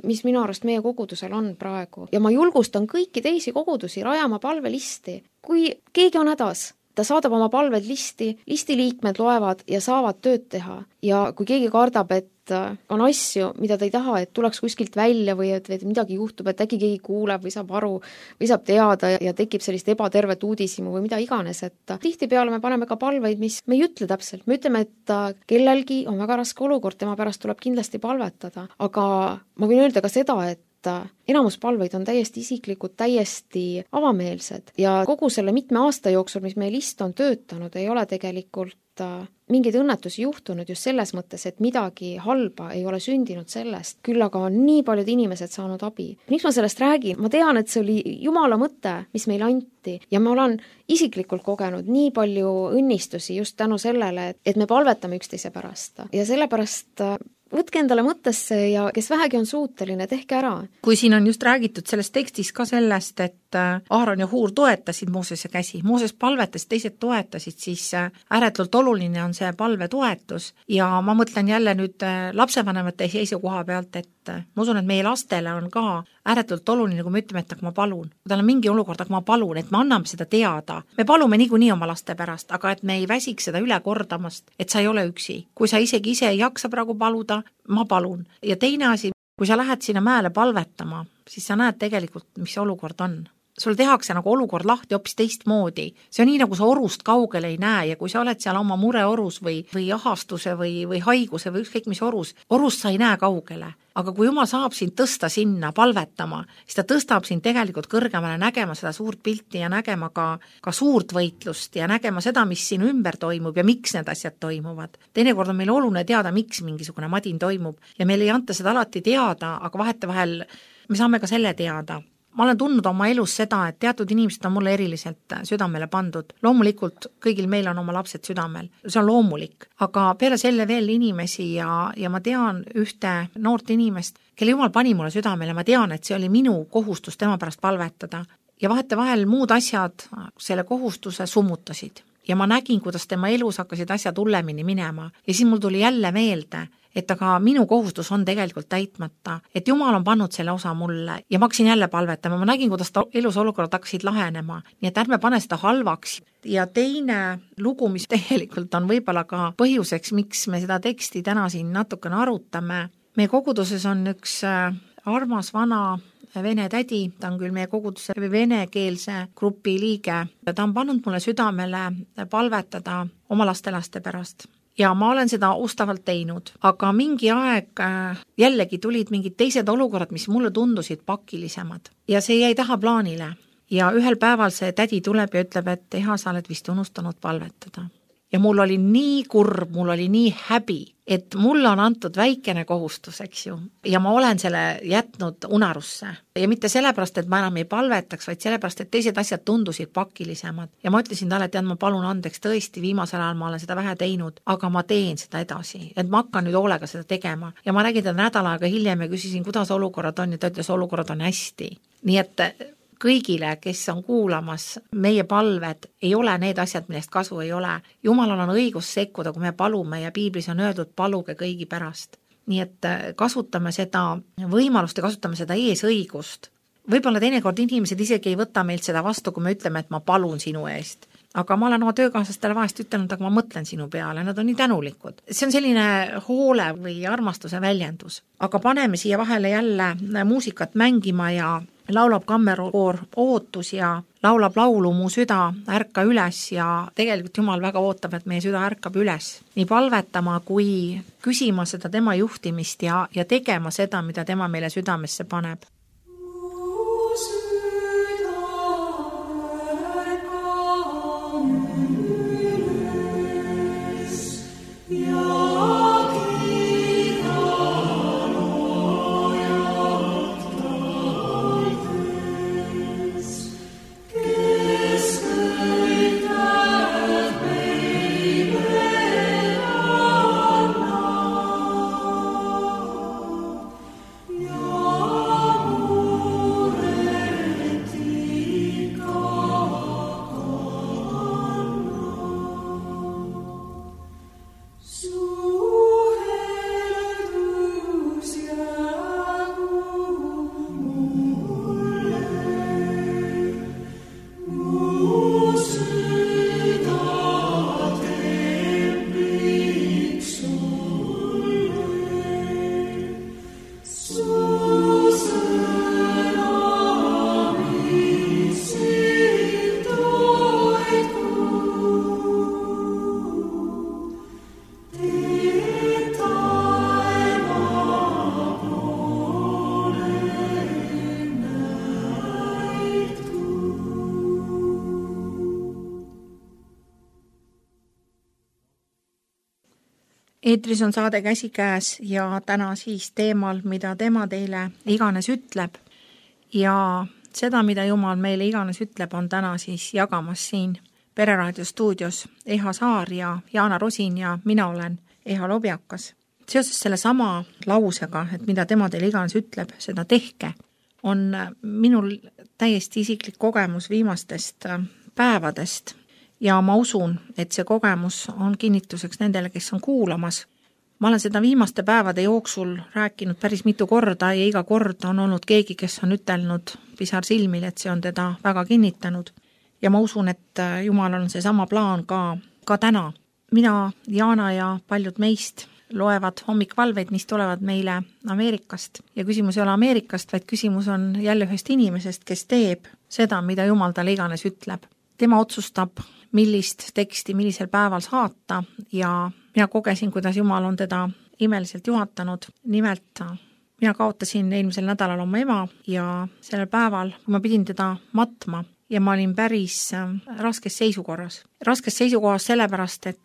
mis minu arust meie kogudusel on praegu. Ja ma julgustan kõiki teisi kogudusi rajama palvelisti. Kui keegi on hädas, ta saadab oma palved listi, listi liikmed loevad ja saavad tööd teha. Ja kui keegi kardab, et on asju, mida ta ei taha, et tuleks kuskilt välja või et, et midagi juhtub, et äkki keegi kuuleb või saab aru või saab teada ja tekib sellist ebatervet uudisimu või mida iganes, et tihtipeale me paneme ka palveid, mis me ei ütle täpselt. Me ütleme, et kellelgi on väga raske olukord, tema pärast tuleb kindlasti palvetada, aga ma võin öelda ka seda, et enamus palveid on täiesti isiklikud, täiesti avameelsed ja kogu selle mitme aasta jooksul, mis meie list on töötanud, ei ole tegelikult mingeid õnnetusi juhtunud just selles mõttes, et midagi halba ei ole sündinud sellest, küll aga on nii paljud inimesed saanud abi. Miks ma sellest räägin? Ma tean, et see oli Jumala mõte, mis meile anti ja ma olen isiklikult kogenud nii palju õnnistusi just tänu sellele, et me palvetame üksteise pärast ja sellepärast võtke endale mõttesse ja kes vähegi on suuteline, tehke ära. Kui siin on just räägitud selles tekstis ka sellest, et Aaron ja Huur toetasid Moosese käsi, Mooses palvetas, teised toetasid, siis ääretult oluline on see palvetoetus ja ma mõtlen jälle nüüd lapsevanemate seisukoha pealt, et ma usun, et meie lastele on ka ääretult oluline, kui me ütleme, et aga ma palun. Kui tal on mingi olukord, aga ma palun, et me anname seda teada. Me palume niikuinii oma laste pärast, aga et me ei väsiks seda üle kordamast, et sa ei ole üksi. Kui sa isegi ise ei jaksa praegu paluda, ma palun. Ja teine asi, kui sa lähed sinna mäele palvetama, siis sa näed tegelikult, mis olukord on. Sul tehakse nagu olukord lahti hoopis teistmoodi. See on nii, nagu sa orust kaugele ei näe ja kui sa oled seal oma mure orus või, või ahastuse või, või haiguse või ükskõik mis orus, orust sa ei näe kaugele. Aga kui Jumal saab sind tõsta sinna palvetama, siis ta tõstab sind tegelikult kõrgemale nägema seda suurt pilti ja nägema ka, ka suurt võitlust ja nägema seda, mis sinu ümber toimub ja miks need asjad toimuvad. Teinekord on meil oluline teada, miks mingisugune madin toimub ja meil ei anta seda alati teada, aga vahetevahel me saame ka selle teada. ma olen tundnud oma elus seda, et teatud inimesed on mulle eriliselt südamele pandud. Loomulikult kõigil meil on oma lapsed südamel, see on loomulik, aga peale selle veel inimesi ja, ja ma tean ühte noort inimest, kelle jumal pani mulle südamele, ma tean, et see oli minu kohustus tema pärast palvetada ja vahetevahel muud asjad selle kohustuse summutasid ja ma nägin, kuidas tema elus hakkasid asjad hullemini minema ja siis mul tuli jälle meelde, et aga minu kohustus on tegelikult täitmata, et Jumal on pannud selle osa mulle ja ma hakkasin jälle palvetama, ma nägin, kuidas ta elus olukorrad hakkasid lahenema, nii et ärme pane seda halvaks. Ja teine lugu, mis tegelikult on võib-olla ka põhjuseks, miks me seda teksti täna siin natukene arutame, meie koguduses on üks armas vana vene tädi, ta on küll meie koguduse venekeelse grupi liige ja ta on pannud mulle südamele palvetada oma lastelaste pärast. Ja ma olen seda ustavalt teinud, aga mingi aeg jällegi tulid mingid teised olukorrad, mis mulle tundusid pakilisemad ja see jäi taha plaanile ja ühel päeval see tädi tuleb ja ütleb, et Eha, sa oled vist unustanud palvetada. Ja mul oli nii kurb, mul oli nii häbi, et mulle on antud väikene kohustus, eks ju, ja ma olen selle jätnud unarusse. Ja mitte sellepärast, et ma enam ei palvetaks, vaid sellepärast, et teised asjad tundusid pakilisemad. Ja ma ütlesin talle, et tead, ma palun andeks tõesti, viimasel ajal ma olen seda vähe teinud, aga ma teen seda edasi, et ma hakkan nüüd hoolega seda tegema. Ja ma nägin teda nädal aega hiljem ja küsisin, kuidas olukorrad on ja ta ütles, olukorrad on hästi. Nii et kõigile, kes on kuulamas, meie palved ei ole need asjad, millest kasu ei ole. Jumalal on õigus sekkuda, kui me palume ja piiblis on öeldud, paluge kõigi pärast. Nii et kasutame seda võimalust ja kasutame seda eesõigust. Võib-olla teinekord inimesed isegi ei võta meilt seda vastu, kui me ütleme, et ma palun sinu eest. Aga ma olen oma töökaaslastele vahest ütelnud, aga ma mõtlen sinu peale, nad on nii tänulikud. See on selline hoole või armastuse väljendus. Aga paneme siia vahele jälle muusikat mängima ja laulab kammerkoor Ootus ja laulab laulu Mu süda ärka üles ja tegelikult Jumal väga ootab, et meie süda ärkab üles. Nii palvetama kui küsima seda tema juhtimist ja, ja tegema seda, mida tema meile südamesse paneb. Eetris on saade Käsikäes ja täna siis teemal, mida tema teile iganes ütleb ja seda, mida Jumal meile iganes ütleb, on täna siis jagamas siin Pereraadio stuudios Eha Saar ja Jaana Rosin ja mina olen Eha Lobjakas. Seoses selle sama lausega, et mida tema teile iganes ütleb, seda tehke, on minul täiesti isiklik kogemus viimastest päevadest. Ja ma usun, et see kogemus on kinnituseks nendele, kes on kuulamas. Ma olen seda viimaste päevade jooksul rääkinud päris mitu korda ja iga kord on olnud keegi, kes on ütelnud pisar silmil, et see on teda väga kinnitanud. Ja ma usun, et Jumal on see sama plaan ka, ka täna. Mina, Jaana ja paljud meist loevad hommikvalveid, mis tulevad meile Ameerikast. Ja küsimus ei ole Ameerikast, vaid küsimus on jälle ühest inimesest, kes teeb seda, mida Jumal talle iganes ütleb. Tema otsustab, millist teksti millisel päeval saata ja mina kogesin, kuidas Jumal on teda imeliselt juhatanud. Nimelt mina kaotasin eelmisel nädalal oma ema ja sellel päeval, kui ma pidin teda matma ja ma olin päris raskes seisukorras. Raskes seisukohas sellepärast, et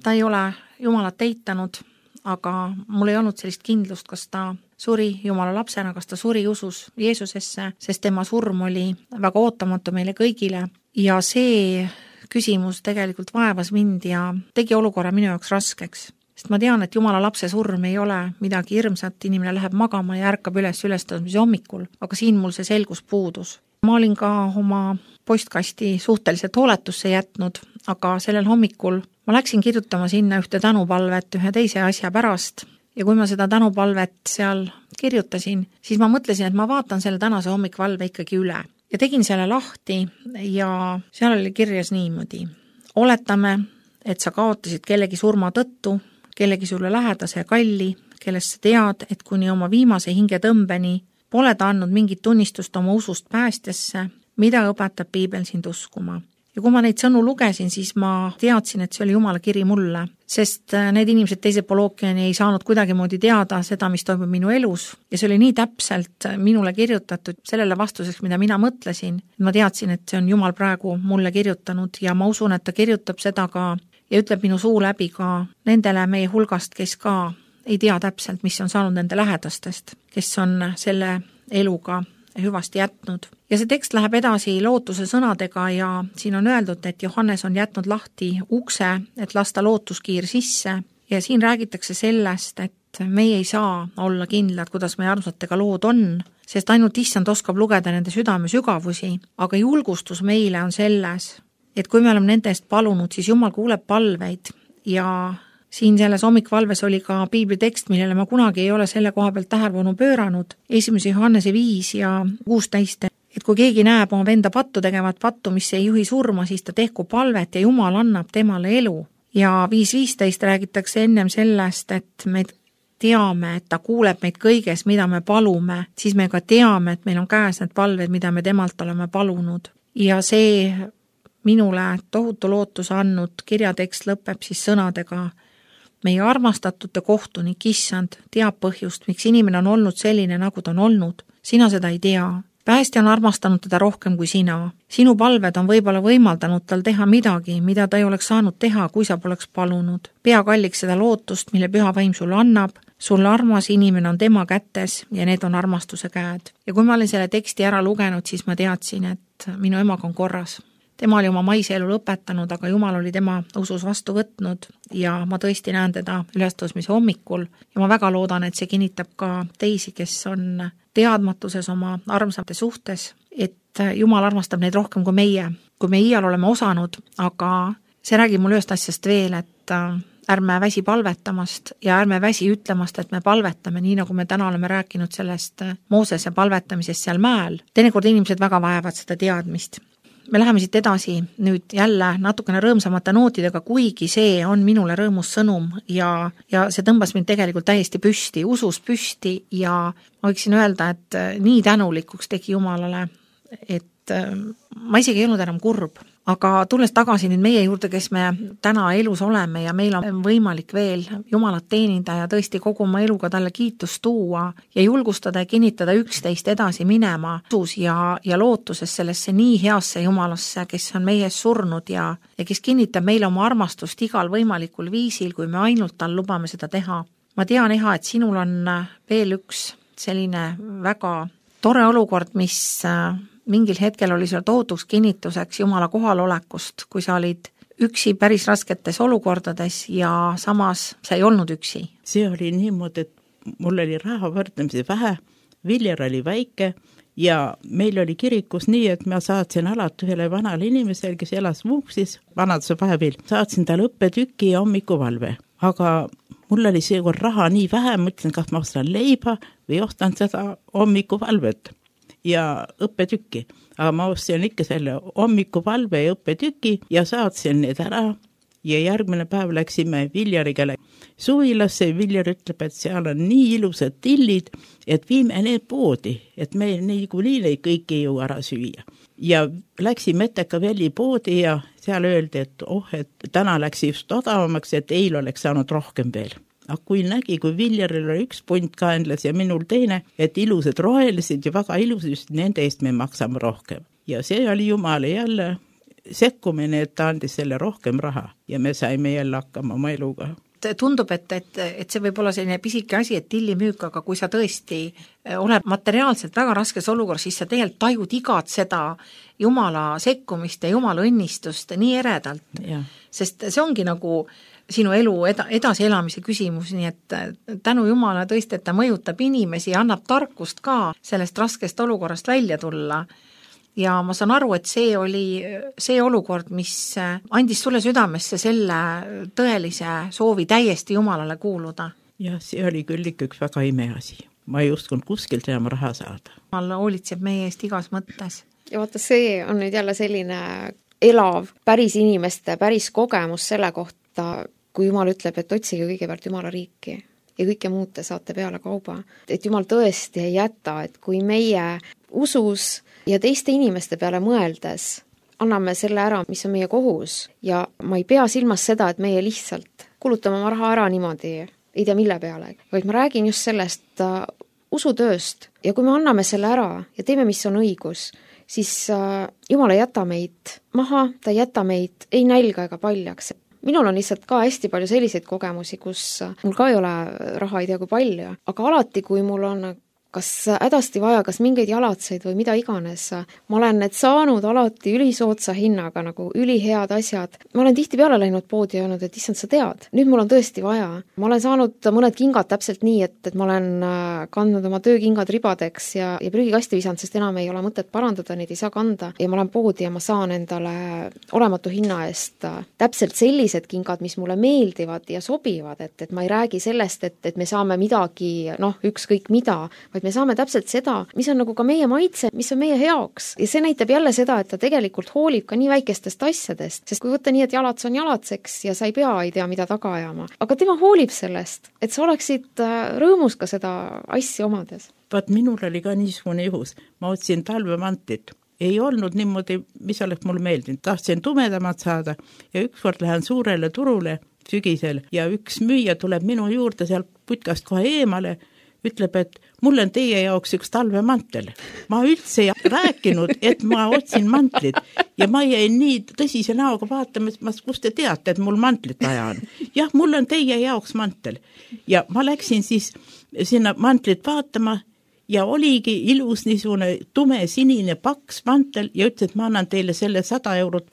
ta ei ole Jumalat eitanud, aga mul ei olnud sellist kindlust, kas ta suri Jumala lapsena, kas ta suri usus Jeesusesse, sest tema surm oli väga ootamatu meile kõigile ja see küsimus tegelikult vaevas mind ja tegi olukorra minu jaoks raskeks. Sest ma tean, et Jumala lapse surm ei ole midagi hirmsat, inimene läheb magama ja ärkab üles ülestõusmise hommikul, aga siin mul see selgus puudus. Ma olin ka oma postkasti suhteliselt hooletusse jätnud, aga sellel hommikul ma läksin kirjutama sinna ühte tänupalvet ühe teise asja pärast ja kui ma seda tänupalvet seal kirjutasin, siis ma mõtlesin, et ma vaatan selle tänase hommikvalve ikkagi üle ja tegin selle lahti ja seal oli kirjas niimoodi. Oletame, et sa kaotasid kellegi surma tõttu, kellegi sulle lähedase ja kalli, kellest sa tead, et kuni oma viimase hingetõmbeni pole ta andnud mingit tunnistust oma usust päästjasse, mida õpetab piibel sind uskuma. Ja kui ma neid sõnu lugesin, siis ma teadsin, et see oli Jumala kiri mulle, sest need inimesed teisel pool ookeani ei saanud kuidagimoodi teada seda, mis toimub minu elus ja see oli nii täpselt minule kirjutatud sellele vastuseks, mida mina mõtlesin. Ma teadsin, et see on Jumal praegu mulle kirjutanud ja ma usun, et ta kirjutab seda ka ja ütleb minu suu läbi ka nendele meie hulgast, kes ka ei tea täpselt, mis on saanud nende lähedastest, kes on selle eluga hüvasti jätnud. Ja see tekst läheb edasi lootuse sõnadega ja siin on öeldud, et Johannes on jätnud lahti ukse, et lasta lootuskiir sisse ja siin räägitakse sellest, et meie ei saa olla kindlad, kuidas meie armsatega lood on, sest ainult issand oskab lugeda nende südame sügavusi, aga julgustus meile on selles, et kui me oleme nende eest palunud, siis Jumal kuuleb palveid ja siin selles hommikvalves oli ka piibli tekst, millele ma kunagi ei ole selle koha pealt tähelepanu pööranud. esimese Johannese viis ja kuusteist, et kui keegi näeb oma venda pattu tegevat pattu, mis ei juhi surma, siis ta tehku palvet ja Jumal annab temale elu. Ja viis viisteist räägitakse ennem sellest, et me teame, et ta kuuleb meid kõiges, mida me palume, siis me ka teame, et meil on käes need palved, mida me temalt oleme palunud. Ja see minule tohutu lootuse andnud kirjatekst lõpeb siis sõnadega meie armastatute kohtunik issand teab põhjust, miks inimene on olnud selline, nagu ta on olnud. Sina seda ei tea. Päästja on armastanud teda rohkem kui sina. Sinu palved on võib-olla võimaldanud tal teha midagi, mida ta ei oleks saanud teha, kui sa poleks palunud. Pea kalliks seda lootust, mille püha vaim sulle annab. Sulle armas inimene on tema kätes ja need on armastuse käed. Ja kui ma olin selle teksti ära lugenud, siis ma teadsin, et minu emaga on korras. Tema oli oma maise elu lõpetanud, aga Jumal oli tema usus vastu võtnud ja ma tõesti näen teda ülestõusmise hommikul ja ma väga loodan, et see kinnitab ka teisi, kes on teadmatuses oma armsate suhtes, et Jumal armastab neid rohkem kui meie, kui me iial oleme osanud, aga see räägib mul ühest asjast veel, et ärme väsi palvetamast ja ärme väsi ütlemast, et me palvetame, nii nagu me täna oleme rääkinud sellest Moosese palvetamisest seal mäel. Teinekord inimesed väga vaevad seda teadmist. Me läheme siit edasi nüüd jälle natukene rõõmsamate nootidega, kuigi see on minule rõõmus sõnum ja, ja see tõmbas mind tegelikult täiesti püsti, usus püsti ja ma võiksin öelda, et nii tänulikuks tegi Jumalale, et ma isegi ei olnud enam kurb. Aga tulles tagasi nüüd meie juurde, kes me täna elus oleme ja meil on võimalik veel Jumalat teenida ja tõesti kogu oma eluga talle kiitust tuua ja julgustada ja kinnitada üksteist edasi minema usus ja, ja lootuses sellesse nii heasse Jumalasse, kes on meie ees surnud ja, ja kes kinnitab meile oma armastust igal võimalikul viisil, kui me ainult tal lubame seda teha. Ma tean, Eha, et sinul on veel üks selline väga tore olukord, mis mingil hetkel oli seal tohutuks kinnituseks Jumala kohalolekust, kui sa olid üksi päris rasketes olukordades ja samas sa ei olnud üksi. See oli niimoodi, et mul oli raha võrdlemisi vähe, Viljar oli väike ja meil oli kirikus nii, et ma saatsin alati ühele vanale inimesele, kes elas Vuuksis, vanaduse vahepeal, saatsin talle õppetüki ja hommikuvalve. Aga mul oli seekord raha nii vähe, mõtlesin, kas ma ostan leiba või ostan seda hommikuvalvet ja õppetükki. Aga ma ostsin ikka selle hommikuvalve ja õppetüki ja saatsin need ära ja järgmine päev läksime Viljariga suvilasse ja Viljar ütleb, et seal on nii ilusad tillid, et viime need poodi, et meil niikuinii neid kõiki ei jõua ära süüa. Ja läksime Etekavelli poodi ja seal öeldi, et oh, et täna läks just odavamaks, et eil oleks saanud rohkem veel. Aga kui nägi, kui Viljaril oli üks punt kaenlas ja minul teine, et ilusad rohelised ja väga ilusad, nende eest me maksame rohkem. Ja see oli Jumala jälle sekkumine, et ta andis selle rohkem raha ja me saime jälle hakkama oma eluga. tundub, et, et, et see võib olla selline pisike asi, et tillimüük, aga kui sa tõesti oled materiaalselt väga raskes olukorras, siis sa tegelikult tajud igat seda Jumala sekkumist ja Jumala õnnistust nii eredalt. Sest see ongi nagu sinu elu eda, edasielamise küsimus, nii et tänu Jumala tõesti, et ta mõjutab inimesi ja annab tarkust ka sellest raskest olukorrast välja tulla. Ja ma saan aru, et see oli see olukord, mis andis sulle südamesse selle tõelise soovi täiesti Jumalale kuuluda. Ja see oli küll ikka üks väga imeasi. Ma ei uskunud kuskilt enam raha saada. Jumal hoolitseb meie eest igas mõttes. Ja vaata, see on nüüd jälle selline elav päris inimeste, päris kogemus selle kohta, kui Jumal ütleb, et otsige kõigepealt Jumala riiki ja kõike muud te saate peale kauba. Et Jumal tõesti ei jäta, et kui meie usus ja teiste inimeste peale mõeldes anname selle ära, mis on meie kohus ja ma ei pea silmas seda, et meie lihtsalt kulutame oma raha ära niimoodi, ei tea mille peale, vaid ma räägin just sellest uh, usutööst ja kui me anname selle ära ja teeme, mis on õigus, siis uh, Jumal ei jäta meid maha, ta ei jäta meid ei nälga ega paljaks. Minul on lihtsalt ka hästi palju selliseid kogemusi, kus mul ka ei ole raha, ei tea kui palju, aga alati, kui mul on kas hädasti vaja, kas mingeid jalatseid või mida iganes. Ma olen need saanud alati ülisootsa hinnaga, nagu ülihead asjad. Ma olen tihti peale läinud poodi ja öelnud, et issand, sa tead, nüüd mul on tõesti vaja. Ma olen saanud mõned kingad täpselt nii, et, et ma olen kandnud oma töökingad ribadeks ja, ja prügikasti visanud, sest enam ei ole mõtet parandada, neid ei saa kanda. Ja ma olen poodi ja ma saan endale olematu hinna eest täpselt sellised kingad, mis mulle meeldivad ja sobivad, et, et ma ei räägi sellest, et, et me saame midagi, noh, ükskõik mida, me saame täpselt seda, mis on nagu ka meie maitse, mis on meie heaks. Ja see näitab jälle seda, et ta tegelikult hoolib ka nii väikestest asjadest, sest kui võtta nii, et jalats on jalatseks ja sa ei pea, ei tea, mida taga ajama. Aga tema hoolib sellest, et sa oleksid rõõmus ka seda asja omades. Vaat minul oli ka niisugune juhus. Ma otsin talvemantlit. Ei olnud niimoodi, mis oleks mulle meeldinud. Tahtsin tumedamat saada ja ükskord lähen suurele turule sügisel ja üks müüja tuleb minu juurde seal putkast kohe eemale, ütleb, et mul on teie jaoks üks talvemantel. Ma üldse ei rääkinud, et ma otsin mantlit ja ma jäin nii tõsise näoga vaatama, et ma, kus te teate, et mul mantlit vaja on. Jah, mul on teie jaoks mantel. Ja ma läksin siis sinna mantlit vaatama ja oligi ilus niisugune tume sinine paks mantel ja ütles, et ma annan teile selle sada eurot,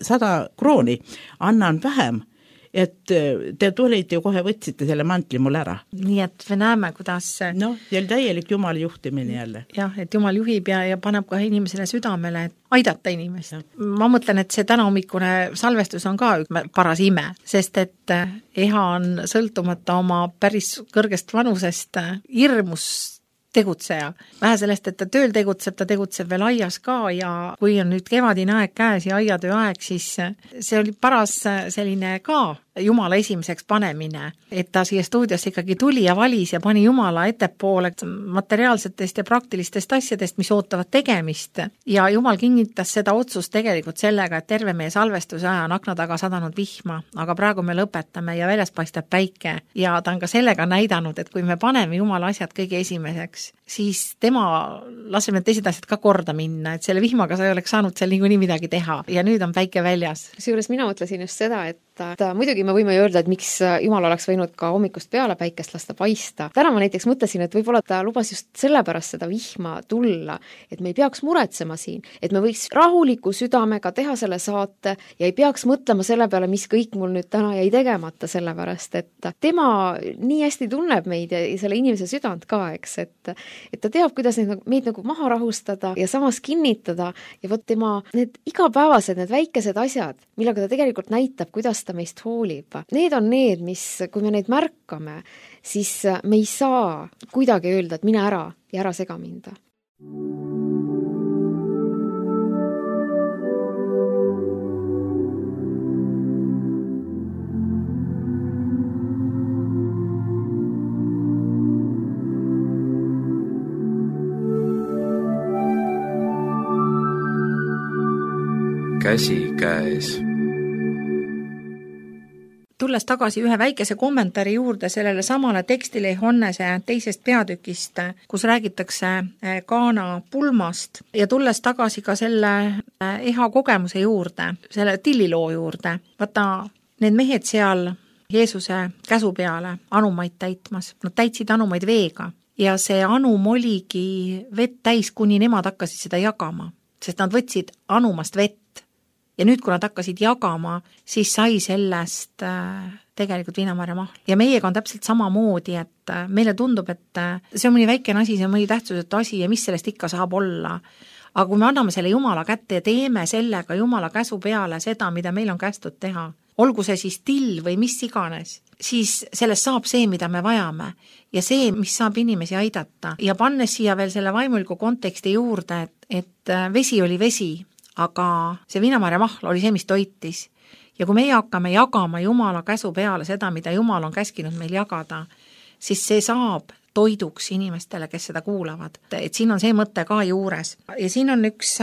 sada krooni, annan vähem. Et te tulite ju kohe võtsite selle mantli mul ära. Nii et me näeme, kuidas... No, see oli täielik Jumal juhtimine jälle. Jah, et Jumal juhib ja, ja paneb ka inimesele südamele, et aidata inimest. Ja. Ma mõtlen, et see täna hommikune salvestus on ka paras ime, sest et Eha on sõltumata oma päris kõrgest vanusest hirmus tegutseja. Vähe sellest, et ta tööl tegutseb, ta tegutseb veel aias ka ja kui on nüüd kevadine aeg käes ja aiatöö aeg, siis see oli paras selline ka Jumala esimeseks panemine, et ta siia stuudiosse ikkagi tuli ja valis ja pani Jumala ettepoole materiaalsetest ja praktilistest asjadest, mis ootavad tegemist. Ja Jumal kinnitas seda otsust tegelikult sellega, et terve meie salvestuse aja on akna taga sadanud vihma, aga praegu me lõpetame ja väljas paistab päike ja ta on ka sellega näidanud, et kui me paneme Jumala asjad kõige esimeseks, siis tema laseme teised asjad ka korda minna, et selle vihmaga sa ei oleks saanud seal niikuinii midagi teha ja nüüd on päike väljas. Seejuures mina mõtlesin just seda, et ta, muidugi me võime ju öelda, et miks Jumal oleks võinud ka hommikust peale päikest lasta paista. Täna ma näiteks mõtlesin, et võib-olla ta lubas just sellepärast seda vihma tulla, et me ei peaks muretsema siin, et me võiks rahuliku südamega teha selle saate ja ei peaks mõtlema selle peale, mis kõik mul nüüd täna jäi tegemata, sellepärast, et tema nii hästi tunneb meid ja selle inimese südant ka, eks, et, et ta teab, kuidas neid, meid nagu maha rahustada ja samas kinnitada ja võt tema need igapäevased, need väikesed asjad, millega ta tegelikult näitab, kuidas ta meist hoolib. Need on need, mis, kui me neid märkame, siis me ei saa kuidagi öelda, et mine ära ja ära sega minda. Käsi käes. Tulles tagasi ühe väikese kommentaari juurde sellele samale tekstile Johannese teisest peatükist, kus räägitakse Kaana pulmast ja tulles tagasi ka selle Eha kogemuse juurde, selle tilliloo juurde. Vaata, need mehed seal Jeesuse käsu peale anumaid täitmas. Nad täitsid anumaid veega ja see anum oligi vett täis, kuni nemad hakkasid seda jagama, sest nad võtsid anumast vett. Ja nüüd, kui nad hakkasid jagama, siis sai sellest äh, tegelikult viinamarja mahl. Ja meiega on täpselt sama moodi, et äh, meile tundub, et äh, see on mõni väikene asi, see on mõni tähtsusetu asi ja mis sellest ikka saab olla. Aga kui me anname selle Jumala kätte ja teeme sellega Jumala käsu peale seda, mida meil on kästud teha, olgu see siis till või mis iganes, siis sellest saab see, mida me vajame ja see, mis saab inimesi aidata. Ja pannes siia veel selle vaimuliku konteksti juurde, et, et vesi oli vesi, aga see viinamarja mahl oli see, mis toitis. Ja kui meie hakkame jagama Jumala käsu peale seda, mida Jumal on käskinud meil jagada, siis see saab toiduks inimestele, kes seda kuulavad. Et siin on see mõte ka juures. Ja siin on üks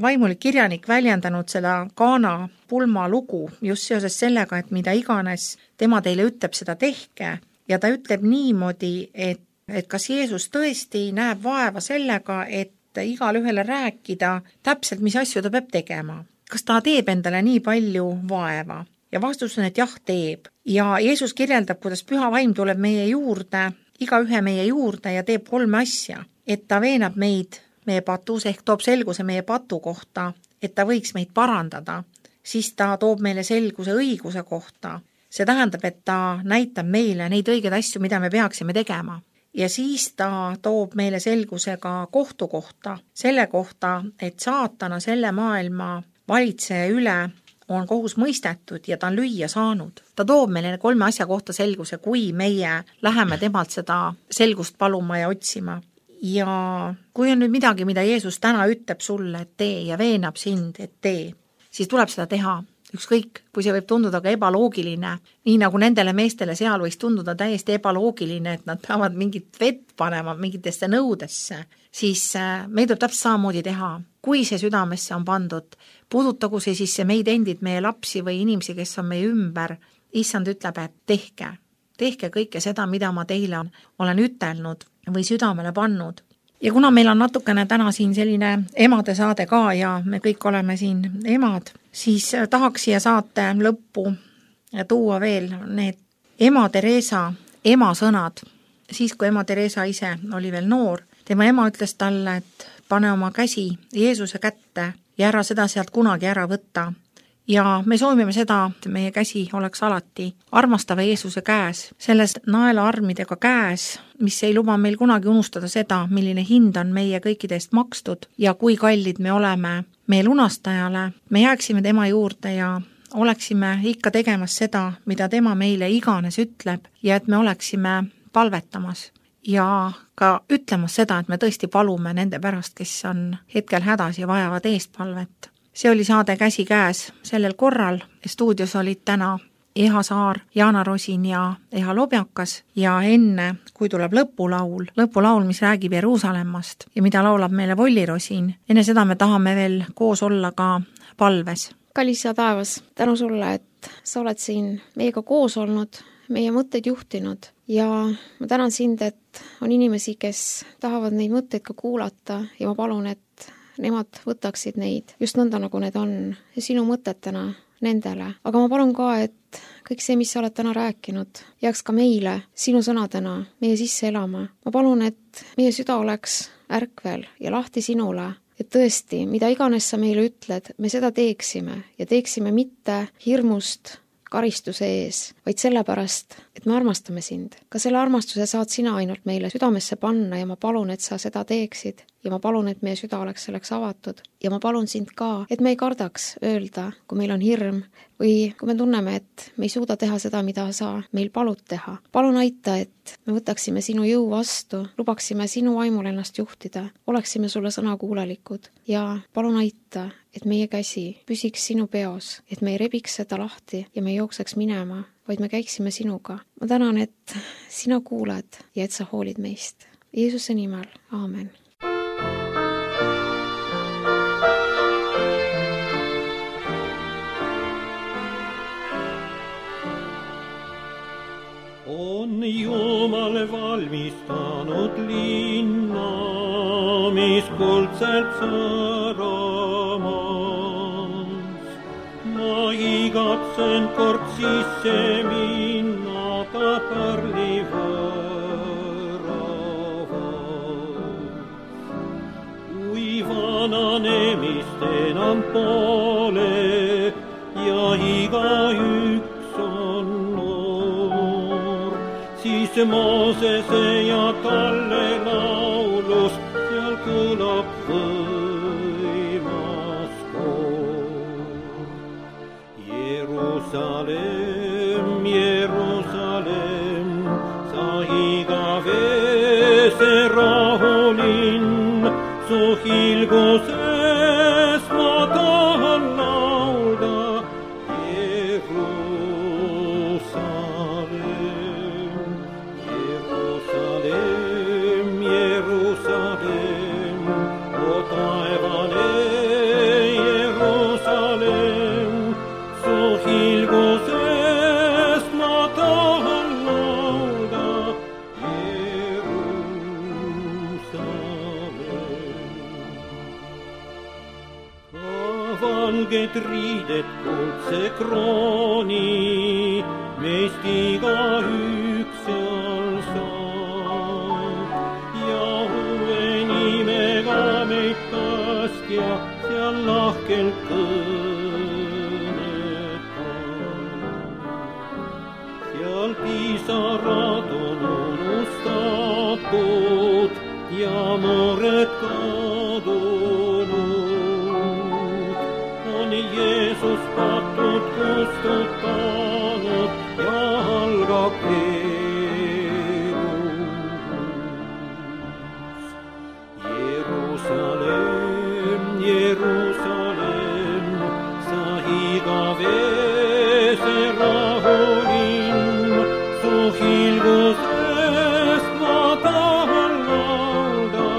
vaimulik kirjanik väljendanud seda Kaana pulma lugu just seoses sellega, et mida iganes tema teile ütleb, seda tehke. Ja ta ütleb niimoodi, et, et kas Jeesus tõesti näeb vaeva sellega, et igal ühele rääkida täpselt, mis asju ta peab tegema. Kas ta teeb endale nii palju vaeva? Ja vastus on, et jah, teeb. Ja Jeesus kirjeldab, kuidas püha vaim tuleb meie juurde, iga ühe meie juurde ja teeb kolme asja. Et ta veenab meid meie patus, ehk toob selguse meie patu kohta, et ta võiks meid parandada. Siis ta toob meile selguse õiguse kohta. See tähendab, et ta näitab meile neid õigeid asju, mida me peaksime tegema. Ja siis ta toob meile selguse ka kohtu kohta, selle kohta, et saatana selle maailma valitseja üle on kohus mõistetud ja ta on lüüa saanud. Ta toob meile kolme asja kohta selguse, kui meie läheme temalt seda selgust paluma ja otsima. Ja kui on nüüd midagi, mida Jeesus täna ütleb sulle, et tee ja veenab sind, et tee, siis tuleb seda teha. Ükskõik, kui see võib tunduda ka ebaloogiline, nii nagu nendele meestele seal võiks tunduda täiesti ebaloogiline, et nad peavad mingit vett panema mingitesse nõudesse, siis meil tuleb täpselt samamoodi teha. Kui see südamesse on pandud, puudutagu see siis see meid endid, meie lapsi või inimesi, kes on meie ümber, issand ütleb, et tehke, tehke kõike seda, mida ma teile olen ütelnud või südamele pannud. Ja kuna meil on natukene täna siin selline emade saade ka ja me kõik oleme siin emad, siis tahaks siia saate lõppu tuua veel need ema Teresa ema sõnad. Siis, kui ema Teresa ise oli veel noor, tema ema ütles talle, et pane oma käsi Jeesuse kätte ja ära seda sealt kunagi ära võtta. Ja me soovime seda, et meie käsi oleks alati armastava Jeesuse käes, sellest naelaarmidega käes, mis ei luba meil kunagi unustada seda, milline hind on meie kõikidest makstud ja kui kallid me oleme meie lunastajale. Me jääksime tema juurde ja oleksime ikka tegemas seda, mida tema meile iganes ütleb ja et me oleksime palvetamas ja ka ütlemas seda, et me tõesti palume nende pärast, kes on hetkel hädas ja vajavad eestpalvet. See oli saade Käsi käes sellel korral. Stuudios olid täna Eha Saar, Jaana Rosin ja Eha Lobjakas ja enne, kui tuleb lõpulaul, lõpulaul, mis räägib Jeruusalemmast ja mida laulab meile Volli Rosin, enne seda me tahame veel koos olla ka palves. Kallis ja taevas, tänu sulle, et sa oled siin meiega koos olnud, meie mõtteid juhtinud ja ma tänan sind, et on inimesi, kes tahavad neid mõtteid ka kuulata ja ma palun, et nemad võtaksid neid just nõnda, nagu need on ja sinu mõtetena nendele. Aga ma palun ka, et kõik see, mis sa oled täna rääkinud, jääks ka meile sinu sõnadena meie sisse elama. Ma palun, et meie süda oleks ärkvel ja lahti sinule, et tõesti, mida iganes sa meile ütled, me seda teeksime ja teeksime mitte hirmust karistuse ees, vaid sellepärast, et me armastame sind. Ka selle armastuse saad sina ainult meile südamesse panna ja ma palun, et sa seda teeksid ja ma palun, et meie süda oleks selleks avatud ja ma palun sind ka, et me ei kardaks öelda, kui meil on hirm või kui me tunneme, et me ei suuda teha seda, mida sa meil palud teha. Palun aita, et me võtaksime sinu jõu vastu, lubaksime sinu vaimul ennast juhtida, oleksime sulle sõnakuulelikud ja palun aita, et meie käsi püsiks sinu peos, et me ei rebiks seda lahti ja me ei jookseks minema, vaid me käiksime sinuga. Ma tänan, et sina kuulad ja et sa hoolid meist. Jeesuse nimel, aamen. On Jumal valmistanud linna, mis kuldselt sõramas. Ma igatsen katsen kord sisse minna ka pärli võravas. Kui vananemist enam pole ja igaüks on noor, siis Moosese ja Kalle laulus seal kõlab võimas koor. Jerusalem, Jerusalem, sa igavese rahulinn, su hilguses ma tahan laulda. Jerusalem, Jerusalem, Jerusalem, o taevane Jerusalem, su hilguses ma tahan laulda. Valged riided, kuldse krooni, meist igaüks seal saab. Ja uue nimega meid päästja seal lahkelt kõnetab. Seal pisarad on unustatud ja mured kadunud. Jeesus patud kustutanud ja algab Jeesus. Jerusalem, Jerusalem, sa igavese rahulinn, su hilgusest ma tahan laulda.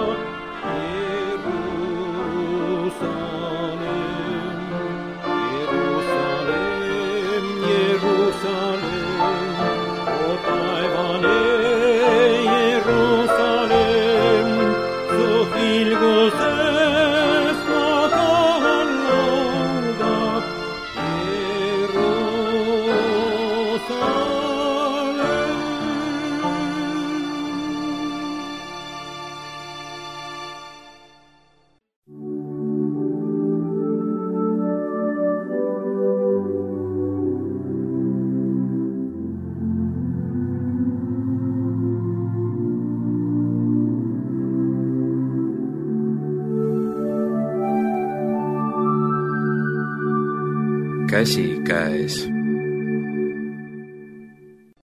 Käsikäes.